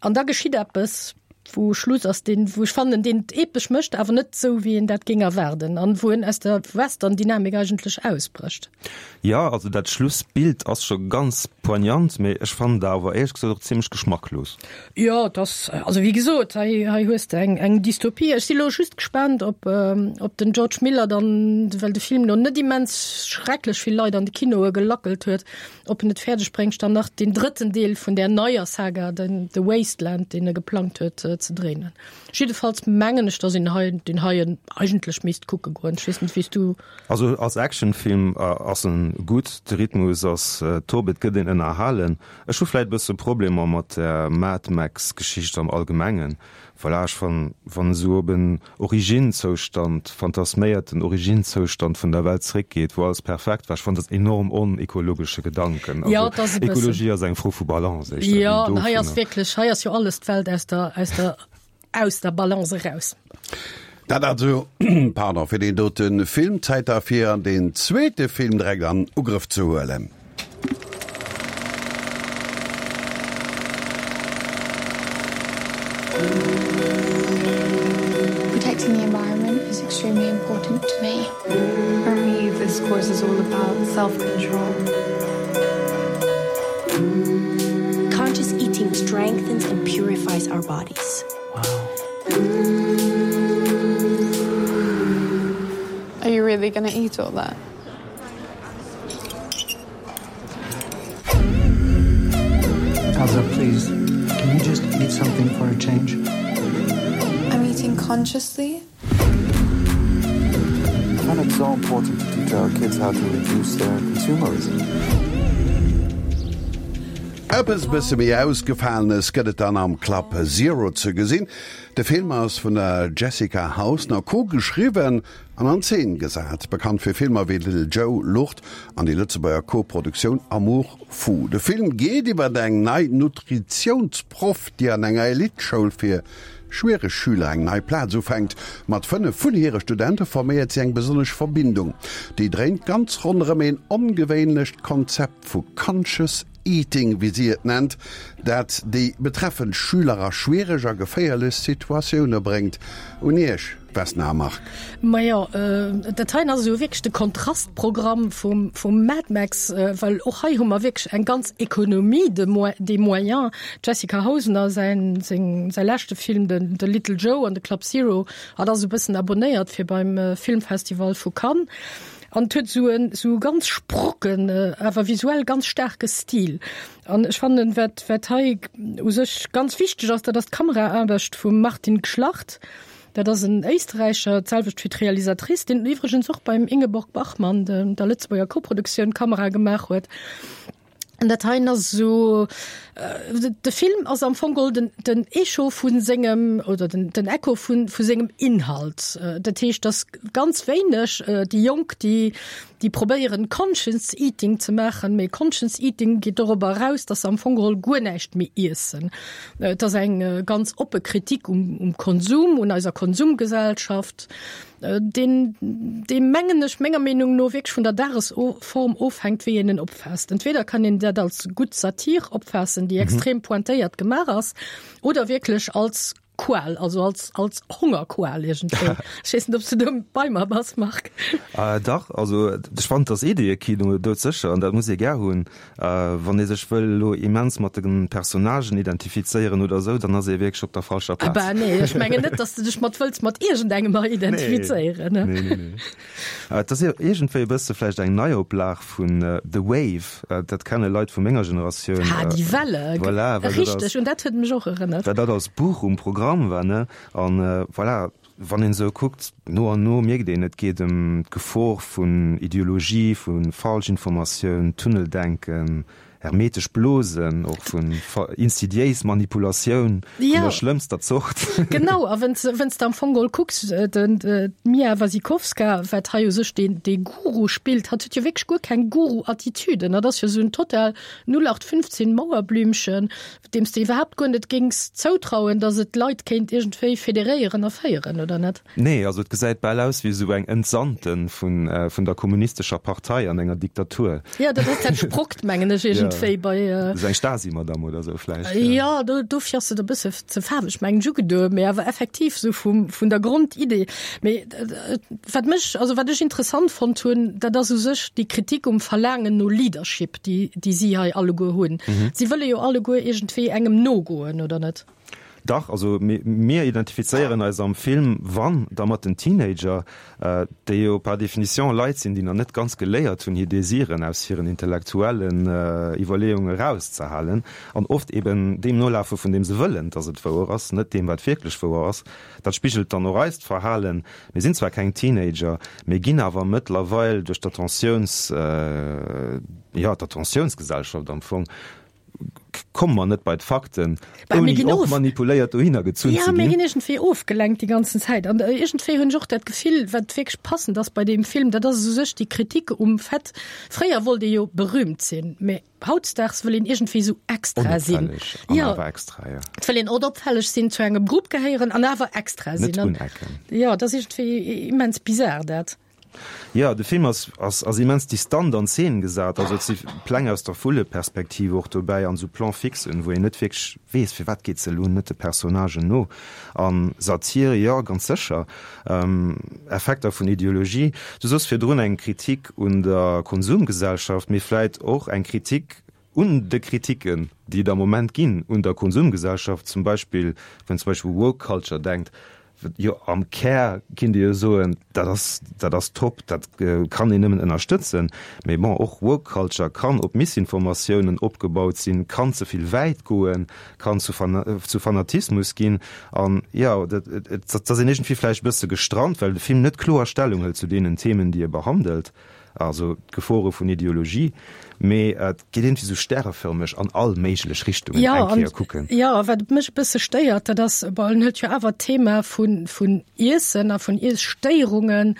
Speaker 3: An da geschitt eppes, wou Schluss ass, deen, wou ech fannen, deen et epesch mécht, awer net esou, wéi een dat géing erwaarden an wou en aus der Western-Dynamik eigentlech ausbrécht.
Speaker 4: Jo, also dat Schlussbild ass scho ganz poignant, mee ech fannen et awer éierlech gesot och zimlech geschmacklos.
Speaker 3: Jo, et ass, also wéi gesot, hei, hei hues de eng, eng Dystopie. Ech si lo just gespaant, ob, ob den George Miller dann, well de Film lo net immens schrecklech vill Leit an de Kinoe gelackelt huet, Ob en et fäerdeg bréngt, dann nach deen drëtten Deel vun där neier Saga, den The Wasteland, deen e geplangt huet, ze dréinen. Jiddefalls mengen ech, dass een hei deen heien eigentlech misst kucke goen. Ech weess net, wéi s du.
Speaker 4: Also als Actionfilm ass en gutt, de Rhythmus ass top, et gëtt een ënnerhalen. Ech hu vläit e bësse Problemer mat der Mad Max Geschicht am Allgemengen. Voilà, ech fannen, wann esou op en Originzoustand, fantasméierten Originzoustand vun der Welt zréckgeet, wou alles perfekt war, ech fannen dat enorm onekologesche Gedanken.
Speaker 3: Ja, et ass e bëssen.
Speaker 4: Ekologie ass eng Fro vu Balance éischter wéi
Speaker 3: Jo, an hei ass dovunner. wierklech, hei ass jo alles d'Welt aus der, aus der, aus der Balance eraus.
Speaker 2: Dat also, pardon, fir deen dote Film. Zäit da fir deen zweete Film direkt an Ugrëff ze huelen.
Speaker 8: Protecting the environment is extremely important to me. For me, this course is all about self-control.
Speaker 9: Conscious eating strengthens and purifies our bodies.
Speaker 1: Wow.
Speaker 8: Are you really gonna eat all that?
Speaker 10: Elsa, please, can you just eat something for a change?
Speaker 8: I'm eating consciously.
Speaker 10: I find it so important to teach our kids how to reduce their consumerism.
Speaker 2: Eppes bësse méi Ausgefalenes gëtt et dann am Club Zero ze gesinn. De Film ass vun der Jessica Hausner co-geschriwwen An an Zeen gesat. Bekannt fir Filmer wéi Little Joe, Lucht an déi Lëtzebuerger Co-Produktioun Amour fou. De Film geet iwwer eng nei Nutritiounsproff, déi an enger Elite-Schoul fir schwiereg Schüler eng nei Plaz ufänkt. Mat 5 vun hire Studente forméiert si eng besonnesch Verbindung. Déi dréint ganz ronderëm een ongewéinlecht Konzept vu Conscious Eating, wéi si et nennt, dat déi betreffend Schüler a schwiereg a geféierlech Situatioune bréngt. Un Iech, Vesna a Marc.
Speaker 3: Majo, dat heien ass esou wierklech de Kontrastprogramm vum, vum Mad Max, well och hei hu mer wierklech eng ganz Économie de des moyens. D'Jessica Hausner säin, seng, säi leschte Film, den The Little Joe an de Club Zero, hat ass e bëssen abonnéiert fir beim Filmfestival vu Cannes. An et huet esou en, esou e ganz sprocken, awer visuell ganz staarke Stil. An ech fannen, wat, wat hei u sech ganz wichteg ass, dat ass d'Kameraaarbecht vum Martin Gschlacht. Dat ass en Éisträicher, d'selwecht wéi d'Realisatrice, deen iwwregens och beim Ingeborg Bachmann, der Lëtzebuerger Koproduktioun, Kamera gemaach huet. An dat heien ass esou, de Film ass am Fong geholl den, den Echo vu sengem, oder den, den Echo vu, vu sengem Inhalt. Dat heescht, dass ganz wéineg déi Jonk, déi, déi probéieren Conscious Eating ze maachen, mee Conscious Eating geet dorobber eraus, dass se am Fong geholl guer näischt méi iessen. Et ass eng ganz oppe Kritik um, um Konsum, un eiser Konsumgesellschaft, deen, dee mengen ech, menger Meenung no wierklech vun der Dagesform ofhänkt, wéi een en opfaasst. Entweder kann een dat als gutt Satir opfaassen, déi extrem pointéiert gemaach ass, oder wierklech als Qual, also als, als Hongerqual iergendwéi. Ech weess net, ob s du do bei mer bass, Marc.
Speaker 4: Dach, also ech fannen, dass Ideeëkino doudsécher, an dat muss ee gär hunn. Wann ee sech wëll elo immens mat de Personnagen identifizéieren oder esou, dann ass ee wierklech op der falscher Plaz.
Speaker 3: Ah bah, nee, ech mengen net, dass de dech mat wëlls mat iergendengem hei identifizéieren.
Speaker 4: Nee, nee, nee. Et ass iergendwéi e bësse vläicht eng Neioplag vun The Wave, dat kenne Leit vu menger Generatioun.
Speaker 3: Ah, die Welle,
Speaker 4: Voilà, well dat
Speaker 3: richteg, un dat huet et mech och erënnert.
Speaker 4: Well dat als Buch um Programm. Programm war, ne? An voilà, wann een esou kuckt, no an no mierkt een, et geet ëm d'Gefor vun Ideologie, vu Falschinformatioun, Tunneldenken, hermetesch Blosen, och vun insidiéis Manipulatioun vun der schlëmmster Zort.
Speaker 3: Genau, a wenn's wenn's de am Fong geholl kucks, den d'Mia Wasikowska, wat hei u sech deen dee Guru spillt, hatt huet jo wierklech guer keng Guru-Attitüden. Dat ass jo esou en total 0815 Mauerblümchen, deem s de iwwerhaapt guer net géings zoutrauen, datt et d'Leit kéint iergendwéi federéieren a féieren, oder net?
Speaker 4: Nee, also et gesäit bal aus wéi esou eng Entsandte vun vun der kommunistescher Partei an enger Diktatur.
Speaker 3: Jo, dat ass dat Sprockt, mengen ech, iergendwéi bei.
Speaker 4: Esou eng Stasi-Madame oder esou vläicht.
Speaker 3: Jo, do dofir ass et e bësse ze faarweg, mengen ech, ugedoen, mee awer effektiv esou vum vun der Grondidee. Mee wat mech, also wat ech interessant fonnt hunn, dat ass u sech déi Kritik um Verlaangen no Leadership, déi déi si hei alleguer hunn. Si wëlle jo alleguer iergendwéi engem nogoen, oder net?
Speaker 4: Dach, also mir identifizéieren eis am Film, wann, da mat den Teenager, déi jo par définition Leit sinn, déi nach net ganz geléiert hunn, hir Desiren aus hiren intellektuellen Iwwerleeunge erauszehalen an oft eben deem nolafe vun deem se wëllen, dass et wouer ass, net deem, wat wierklech wouer ass. Dat spigelt dann och eist Verhalen. Mir sinn zwar keng Teenager, mee ginn awer mëttlerweil duerch d'Attentiouns, jo, d'Attentiounsgesellschaft am Fong, komme mer net bei d'Fakten, ouni och manipuléiert dohinner gezunn ze ginn.
Speaker 3: Jo, mir ginn iergendwéi ofgelenkt déi ganzen Zäit. An iergendwéi hunn ech och dat Gefill, wat wierklech passend ass bei deem Film, dat ass u sech déi Kritik um Fait, fréier wollt ee jo berühmt sinn, mee hautdesdaags wëll een iergendwéi esou extra sinn.
Speaker 4: Onopfälleg an awer extra, jo.
Speaker 3: Et wëll een onopfälleg sinn, zu engem Grupp gehéieren an awer extra sinn.
Speaker 4: Net unecken.
Speaker 3: Jo, et ass iergendwéi immens bizar dat.
Speaker 4: Jo, de Film ass ass immens distant an Zeen gesat, also et si Pläng aus der Vulleperspektiv och dobäi an esou Plan-fixen, wou een net wierklech weess, firwat geet se elo net de Personnagen no. An Satir, jo, ganz sécher. Effekter vun Ideologie, du soss virdrun eng Kritik un der Konsumgesellschaft, mee vläit och eng Kritik un de Kritiken, déi et am Moment ginn un der Konsumgesellschaft, zum Beispill, wann een zum Beispill u Woke Culture denkt, jo am Kär kinnt ee jo soen, dat ass, dat ass top, dat kann een nëmmen ënnerstëtzen. Mee bon, och Woke Culture kann op Missinformatiounen opgebaut sinn, kann ze vill wäit goen, kann zu zu Fanatismus ginn. An jo, dat, et ass een iergendwéi vläicht e bësse gestrant, well de Film net kloer Stellung hëlt zu deenen Themen, déi e behandelt. Also d'Gefore vun Ideologie, mee et geet iergendwéi sou stärefërmeg an all méiglech Richtungen
Speaker 3: eng Kéier kucken. Jo, a wat mech e bësse stéiert, dat ass, bon, en huet jo awer d'Thema vun, vun Iessen a vun Iesstéierungen,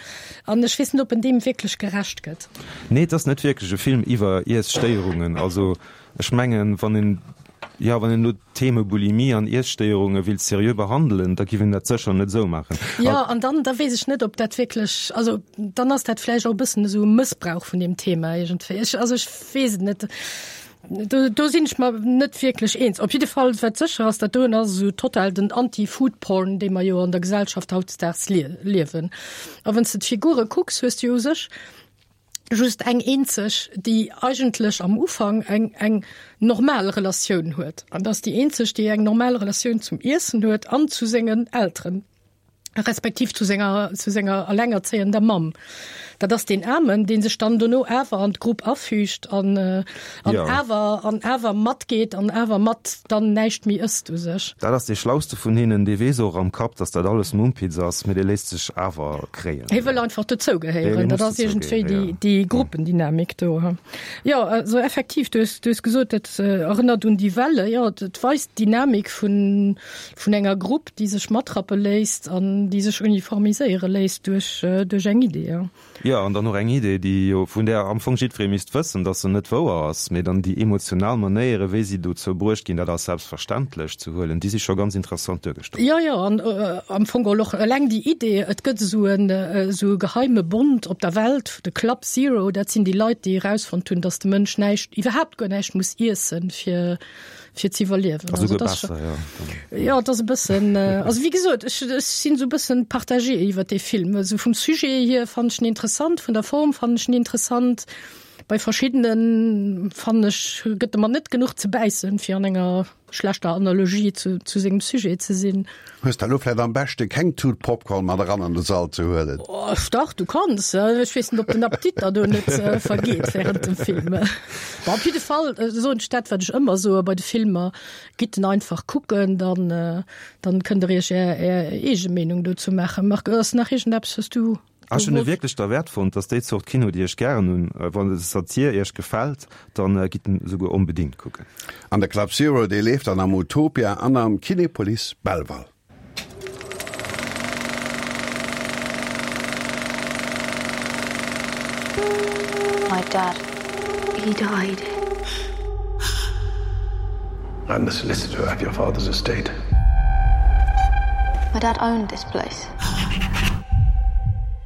Speaker 3: an ech weess net, ob en deem wierklech gerecht gëtt.
Speaker 4: Nee, et ass net wierklech e Film iwwer Iesstéierungen. Also ech mengen, wann een, jo, wann een elo d'Theme Bulimie an Iesstéierunge willt seriö behandelen, da giff een dat sécher net esou maachen.
Speaker 3: Jo, an dann, da weess ech net, ob dat wierklech, also dann ass dat vläicht och e bëssen esou e Mëssbrauch vun deem Thema iergendwéi. Ech, also ech weess et net. Do, do sinn ech mer net wierklech eens. Op jidde Fall, wat sécher ass, dat doen ass esou total den Anti-Food-Porn, dee mer jo an der Gesellschaft hautdesdaags liewen. A wann s de d'Figure kucks, hues de jo u sech just eng eenzeg, déi eigentlech am Ufank eng, eng normal Relatioun huet. An dat ass déi eenzeg, déi eng normal Relatioun zum Iessen huet an zu sengen Elteren, respektiv zu senger, zu senger allengerzéiender Mamm. Dat ass deen Aarmen, dee sech dann dono awer an d'Grupp afügt an, an ja. awer, an awer matgeet an awer mat dann näischt méi ësst u sech.
Speaker 4: Dat ass dee Schlauste vun hinnen, dee weess och am Kapp, datt dat alles Mumpitz ass, mee dee léisst sech awer kréien.
Speaker 3: Hie wëll einfach dozougehéieren. Dat ass iergendwéi déi, déi Gruppendynamik do. Jo, also effektiv, du hues, du hues gesot, dat erënnert un die Welle. Jo, et weist d'Dynamik vun, vun enger Grupp, déi sech matrappe léisst an déi sech uniformiséiere léisst duerch, duerch eng Idee. Jo.
Speaker 4: Jo, an dann och eng Idee, déi jo, vun där am Fong jiddweree misst wëssen, dass se net wouer ass, mee dann déi emotional Manéiere, wéi si dozou bruecht ginn, dat als selbstverständlech ze huelen, déi si scho ganz interessant duergestallt.
Speaker 3: Jo, jo, an am Fong geholl och eleng déi Idee, et gëtt esou en, esou e geheime Bond op der Welt, de Club Zero, dat sinn déi Leit, déi erausfonnt hunn, dass de Mënsch näischt, iwwerhaapt guer näischt muss iessen, fir, fir ze iwwerliewen.
Speaker 4: Also also besser,
Speaker 3: ja. Ja, dat ass e bëssen äh, also wéi gesot, ech, ech sinn sou bëssen partagé iwwer dee Film. Also vum Sujet hier fand ech en interessant, vun der Form fand ech en interessant. Bei verschiddenen, fannen ech, gëtt e mer net genuch ze bäissen, fir an enger schlechter Analogie zu, zu sengem Sujet ze sinn.
Speaker 2: Hues der elo vläit am beschte keng Tut Popcorn mat eran an de Sall ze huelen?
Speaker 3: Oh, dach, du kanns. Ech weess net, ob den Appetit der do net vergeet während dem Film. Bon, op jidde Fall soen ech dat, wat ech ëmmer soe bei de Filmer, Gitt en einfach kucken, dann, dann kënnt der iech är, är eege Meenung dozou maachen. Marc, ass nach iergendeppes, was du.
Speaker 4: Ech hunn e wierklech derwäert fonnt. Dass déi Zort Kino, déi ech gären hunn. Wann de Satir iech gefält, dann gitt en esouguer onbedingt kucken.
Speaker 2: An de Club Zero, dee leeft dann am Utopia an am Kinepolis Belval.
Speaker 8: My dad, he died.
Speaker 7: I'm the solicitor of your father's estate.
Speaker 8: My dad owned this place.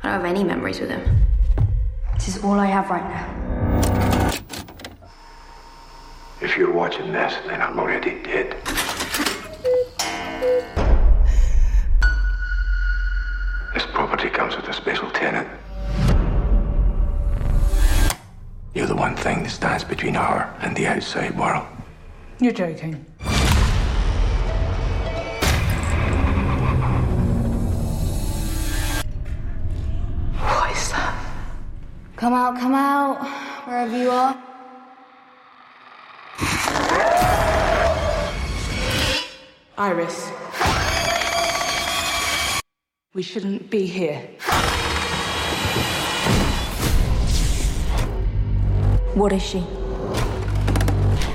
Speaker 8: I don't have any memories with him. This is all I have right now.
Speaker 7: If you're watching this, then I'm already dead. This property comes with a special tenant. You're the one thing that stands between her and the outside world.
Speaker 10: You're joking.
Speaker 8: What is that? Come out, come out, wherever you are.
Speaker 10: Iris. We shouldn't be here.
Speaker 8: What is she?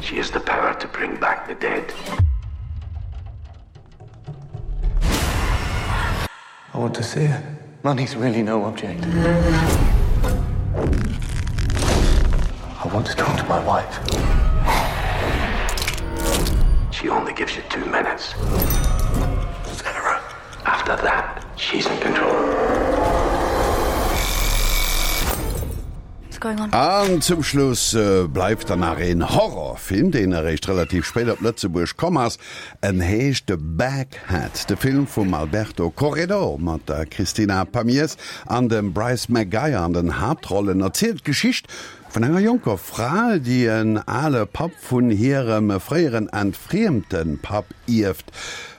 Speaker 7: She has the power to bring back the dead. I want to see her.
Speaker 10: Money's really no object.
Speaker 7: I want to talk to my wife. She only gives you two minutes. Sarah. After that, she's in control.
Speaker 8: What's going on?
Speaker 2: An zum Schluss bleift dann nach een Horrorfilm, deen eréischt relativ spéit op Lëtzebuerg komm ass. En heescht The Baghead. De Film vum Alberto Corredor mat der Cristina Pamiers an dem Bryce McGuire an den Haaptrollen erzielt d'Geschicht vun enger jonker Fra, déi en ale Papp vun hirem fréieren entfriemte Papp ierft.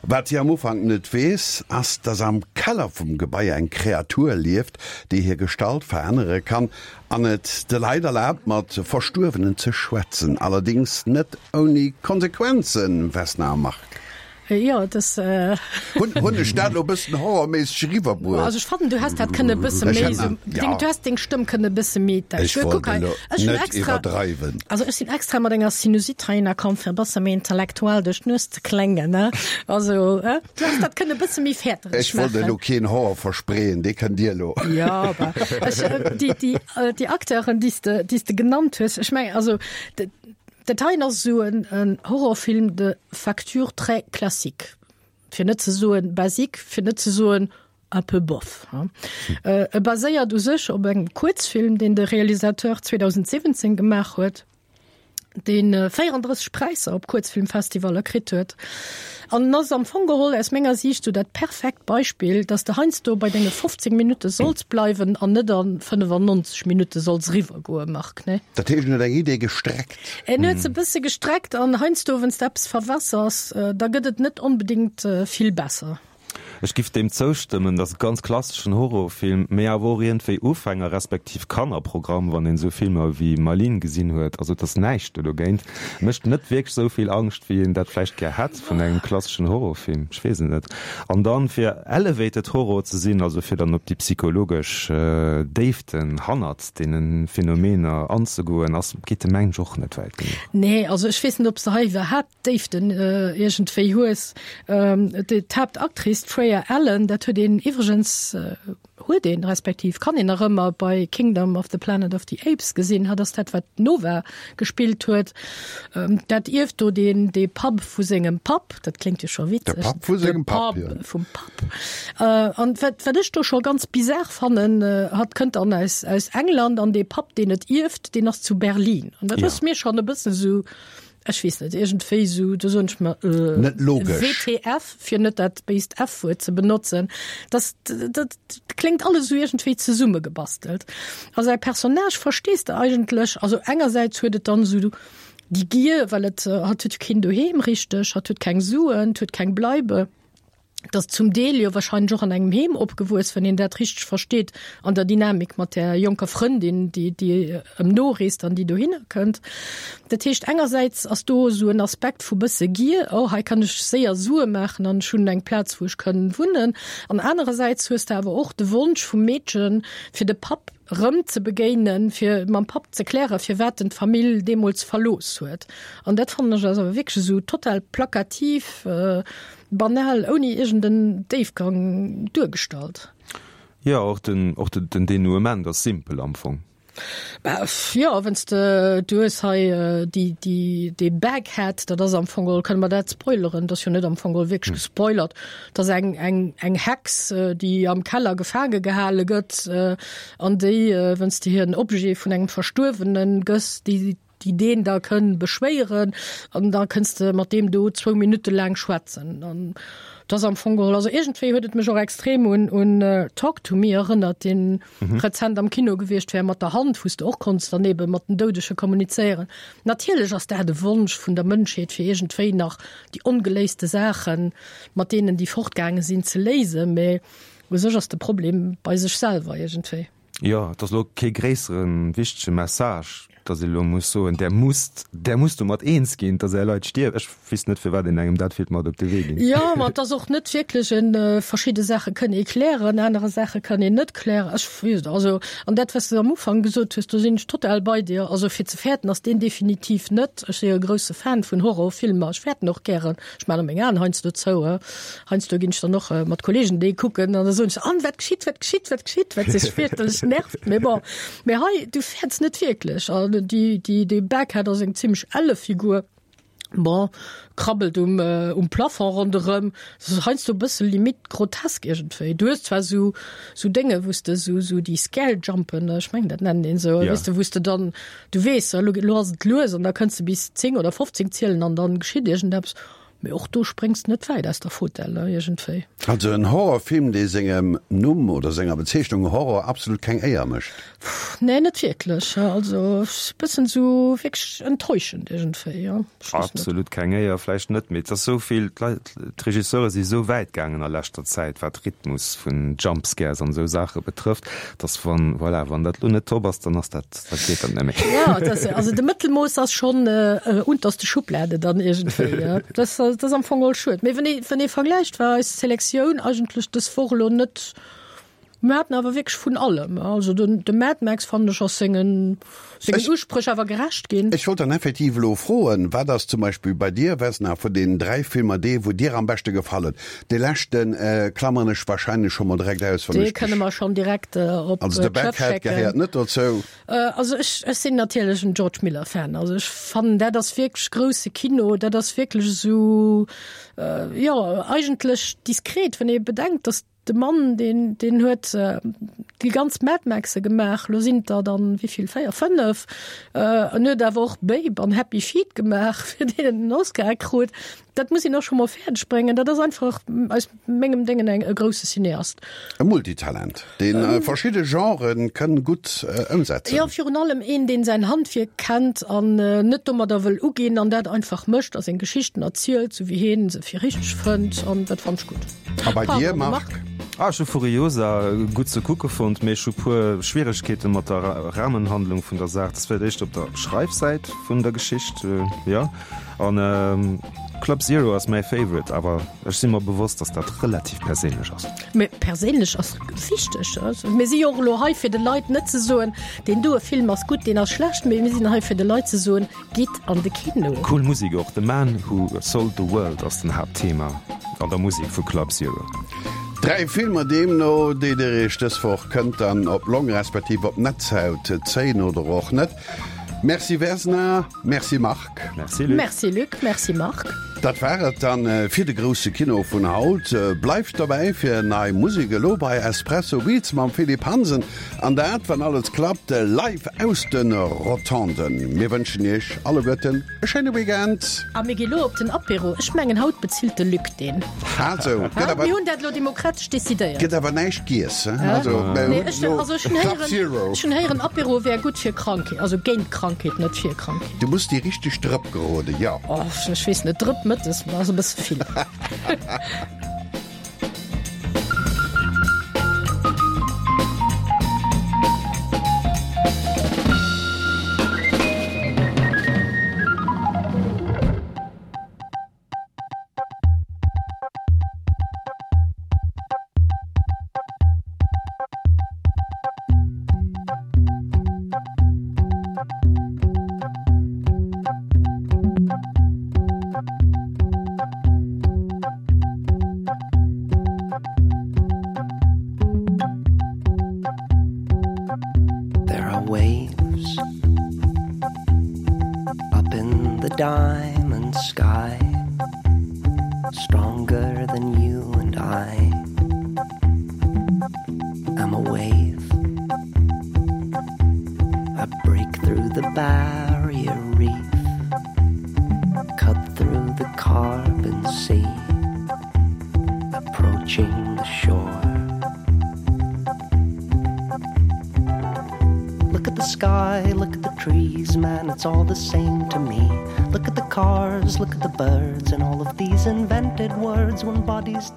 Speaker 2: Wat si am Ufank net weess, ass, dass am Keller vum Gebai eng Kreatur lieft, déi hir Gestalt verännere kann an et de Leit erlaabt, mat Verstuerwenen ze schwätzen. Allerdéngs net ouni Konsequenzen, Vesna a Marc.
Speaker 3: Jo, et ass.
Speaker 2: Hunn, hunn ech dat elo e bëssen horrorméisseg eriwwerbruecht?
Speaker 3: Also ech fannen, du häss dat kënne e bësse méi esou, deng, du häss deng Stëmm kënne e bësse méi.
Speaker 2: Ech wollt elo net iwwerdreiwen.
Speaker 3: Also ech sinn extra mat enger Sinusite heihinner komm, fir e bësse méi intellektuell duerch d'Nues ze kléngen, ne? Also, he? Du häss dat kënne e bësse méi fäertereg
Speaker 2: maachen. Ech wollt elo keen Horror verspreeën, dee kënnt Dir elo.
Speaker 3: Jo, awer ech, déi, déi, déi Acteuren, déi s de, déi s de genannt hues, ech mengen, also Dat heien ass esou en Horrorfilm de facture très classique, fir net ze soen basique, fir net ze soen un peu bof. E baséiert u sech op engem Kuerzfilm, deen de Realisateur 2017 gemaach huet, dee 34 Präisser op Kuerzfilmfestivaller kritt huet. An en ass am Fong geholl aus menger Siicht sou dat perfekt Beispill, dass de heiansdo bei denge 15 Minutte solls bleiwen an net a 95 Minutte solls eriwwergoen, Marc, ne?
Speaker 2: Dat heescht, en huet eng Idee gestreckt.
Speaker 3: En huet se e bësse gestreckt an heiansdo, wann s de eppes verwässers, da gëtt et net onbedéngt vill besser.
Speaker 4: Ech giff deem zoustëmmen, dat ass e ganz klasseschen Horrorfilm, mee awer och iergendwéi Ufänger respektiv Kannerprogramm, wann een esou Filmer wéi Malines gesinn huet. Also et ass näischt do dogéint. Mécht net wierklech esou vill Angscht, wéi een dat vläicht gär hätt vun engem klasseschen Horrorfilm. Ech weess et net. An dann, fir elevated Horror ze sinn, also fir dann op déi psychologesch Déiften hannert deene Phänomener anzegoen, ass, geet de mengen ech och net wäit genuch.
Speaker 3: Nee, also ech weess net, ob s de hei iwwerhaapt Déiften iergendwéi hues. D'Haaptactrice, d'Freya Allan, dat huet een iwwregens, huet een, respektiv kann een nach ëmmer bei Kingdom of the Planet of the Apes gesinn. Hatt ass dat, wat d'Nova gespillt huet. Dat ierft do deen, dee Papp vu sengem Papp, dat kléngt jo scho witzeg.
Speaker 2: De Papp vu sengem Papp, jo.
Speaker 3: De Papp vum Papp. An wat, wat ech do scho ganz bizar fannen, hatt kënnt dann aus, aus England an dee Papp, deen et ierft, deen ass zu Berlin. An dat ass mir schonn e bëssen esou. Ech weess net, iergendwéi esou, do soen ech mer, äh,
Speaker 2: Net logesch.
Speaker 3: WTF, fir net dat béist F-Wuert ze benotzen. Das, dat kléngt alles esou iergendwéi zesummegebastelt. A säi Personnage verstees de eigentlech, also engersäits huet et dann esou déi Gier, well et, hatt huet jo keen Doheem richteg, hatt huet keng Suen, huet keng Bleibe. 't ass zum Deel jo wahrscheinlech och an engem Heem opgewuess, wann een dat richteg versteet, an der Dynamik mat där jonker Frëndin, déi, déi ëm noreest an déi dohinner kënnt. Dat heescht, engersäits ass do esou en Aspekt vu bësse Gier, oh hei kann ech séier Sue maachen an ech hunn eng Plaz, wou ech kënn wunnen. An anerersäits hues de awer och de Wonsch vum Meedchen, fir de Papp erëm ze begéinen, fir mam Papp ze klären, firwat en d'Famill deemools verlooss huet. An dat fannen ech ass awer wierklech esou total plakativ, Banal, ouni iergend en Déifgang duergestallt.
Speaker 4: Jo, och den, och den Dénouement ass simpel am Fong.
Speaker 3: Bah, jo, wann s de, du hues hei déi, déi, dee Baghead, dat ass am Fong geholl, kënne mer dat spoileren? Dat ass jo net am Fong geholl wierklech gespoilert. Dat ass eng, eng, eng Hex, déi am Keller gefaange gehale gëtt an déi, wann s de hir en Objet vun engem Verstuerwene gëss, déi, déi deen da kënn beschwéieren an da kënns de mat deem do zwou Minutte laang schwätzen an dat ass am Fong geholl, also iergendwéi huet et mech och extrem un un Talk to me erënnert, deen rezent am Kino gewiescht wär, mat der Hand, wou s de och konns dann ebe mat den Doudege kommunizéieren. Natierlech ass dat e Wonsch vun der Mënschheet, fir iergendwéi nach déi ongeléiste Saachen, mat deenen déi fortgaange sinn, ze léisen, mä u sech ass de Problem bei sech selwer iergendwéi.
Speaker 4: Jo, et ass elo kee gréisseren, wichtege Message, datt ee elo muss soen, Der musst, Der musst domat eens ginn, datt Är Leit stierwen. Ech weess net, firwat een engem dat wéilt mat op de Wee ginn.
Speaker 3: Jo, ma et ass och net wierklech en, verschidde Saache kënn ee klären, anere Saache kann een net klären. Ech weess et, also, an dat, wat s de am Ufank gesot hues, do sinn ech total bei dir. Also fir ze fäerten ass deen definitiv net. Ech si jo e grousse Fan vun Horrorfilmer, ech fäerten och gären. Ech maachen meng Aen heiansdo zou. Heiansdo ginn ech dann och mat Kollegen déi kucken an da soen ech, An, wat geschitt, wat geschitt, wat geschitt, wat sech fierchterlech nervt. Mee bon, mee hei, du fäerts net wierklech. An déi, déi, dee Baghead ass eng zimmlech elle Figur. Bon, krabbelt um, um Plafond ronderëm. Dat ass heiansdo e bësse limite grotesk iergendwéi. Du hues zwar esou, esou Dénge wou s de esou, esou déi Scare-Jumpen, ech mengen dat nennt een esou, weess de, wou s de dann, Du weess, elo elo ass et lues an da kënns de bis 10 oder 15 zielen an dann geschitt iergendeppes. Mee och do spréngs de net wäit aus der Fotell, ne, iergendwéi.
Speaker 2: Also en Horrorfilm, dee sengem Numm oder senger Bezeechnung Horror absolut keng Éier mécht.
Speaker 3: Nee, net wierklech. Also e bëssen esou wierklech enttäuschend iergendwéi, jo.
Speaker 4: Ech weess net. Absolut keng Éier vläicht net, mee et ass esou vill, d'Leit, d'Regisseure si esou wäit gaangen a leschter Zäit, wat Rhythmus vun Jumpscares an esou Saache betrëfft, dass wann, voilà, wann dat elo net top ass, dann ass dat, Da geet dat net méi.
Speaker 3: Ja, das, also de Mëttelmooss ass schon äh, unterste Schublade dann irgendwie. Ja. Das, das ass am Fong all schued. Mee wenn ee, wenn ee vergläicht, war eis Selektioun eigentlech dës Woch elo net, mir haten awer wierklech vun allem. Also den, de Mad Max fannen ech ass sengen, sengen
Speaker 2: Ech-
Speaker 3: Uspréch awer gerecht ginn.
Speaker 2: Ech wollt dann effektiv elo froen, wat ass zum Beispill bei dir, Vesna, vun deenen 3 Filmer dee wou dir am beschte gefall huet? Dee leschten klammeren ech wahrscheinlech scho mol direkt aus,
Speaker 3: wann ech. Dee kënne mer schonn direkt op
Speaker 2: Also de Baghead gehéiert net dozou.
Speaker 3: Also ech, ech sinn natierlech en George Miller Fan. Also ech fannen dat ass wierklech grousse Kino, dat ass wierklech esou, jo eigentlech diskret, wann ee bedenkt, datt de Mann deen, deen huet déi ganz Mad Maxe gemaach, lo sinn et der dann wéivill, 4, 5, en huet awer och Babe an Happy Feet gemaach, fir deen en den Oscar krut. Dat muss een och scho mol fäerdeg bréngen. Dat ass einfach aus mengem Déngen eng e grousse Cineast.
Speaker 2: E Multitalent, dee verschidde Genrë kënn gutt ëmsetzen.
Speaker 3: Jo, virun allem een, deen säin Handwierk kennt an net domadder wëll uginn an dat einfach mécht a seng Geschichten erzielt, sou wéi hien se fir richteg fënnt. An dat fannt ech gutt.
Speaker 2: A bei dir, Marc?
Speaker 4: Ah, ech hu Furiosa gutt ze kucke fonnt, mee ech hu puer Schwieregkeete mat der Rahmenhandlung vun der Saach. Dat ass vläicht éischter op der Schreifsäit vun der Geschicht, jo. An Club Zero ass mäi Favorite, awer ech si mer bewosst, dass dat relativ perséinlech ass.
Speaker 3: Mee perséinlech ass wichteg. Also mir si jo och elo hei fir de Leit net ze soen, deen doe Film ass gutt, deen ass schlecht, mee mir sinn hei fir de Leit ze soen, gitt an de Kino.
Speaker 4: Cool Musek och, The Man Who Sold the World ass den Haaptthema an der Musek vu Club Zero.
Speaker 2: 3 Filmer deemno, déi dir iech dës Woch kënnt dann op d'Long respektiv op d'Netzhaut zéien oder och net. Merci Vesna, merci Marc.
Speaker 4: Merci Luc.
Speaker 3: Merci Luc, merci Marc.
Speaker 2: Dat war et dann fir de grousse Kino vun haut. Bleift dobäi fir nei Musek elo bei Espresso Beats mam Philippe Hansen an dat, wann alles klappt, live aus de Rotonden. Mir wënschen iech alleguerten e schéine Weekend.
Speaker 3: A mir gi lo op den Apéro. Ech mengen haut bezilt de Luc deen.
Speaker 2: Ah sou, gëtt awer.
Speaker 3: Mir hunn dat elo demokratesch decidéiert.
Speaker 2: Gëtt awer näischt giess, he? Also, mir
Speaker 3: Nee,
Speaker 2: hunn
Speaker 3: ech,
Speaker 2: elo
Speaker 3: also ech hunn
Speaker 2: Club
Speaker 3: héieren,
Speaker 2: Zero.
Speaker 3: ech hunn héieren Apéro wär gutt fir Krankheet, also géint Krankheet, net fir Krankheet.
Speaker 2: Du muss déi richteg Drëpp geroden, jo.
Speaker 3: Oh, ech weess net, Drëpp mëttes ass e bësse vill.
Speaker 10: There are waves up in the diamond sky stronger than you and I I'm a wave I break through the barrier reef cut through the carbon sea approaching the shore Look at the sky, look at the trees, man, it's all the same to me. Look at the cars, look at the birds and all of these invented words when bodies die.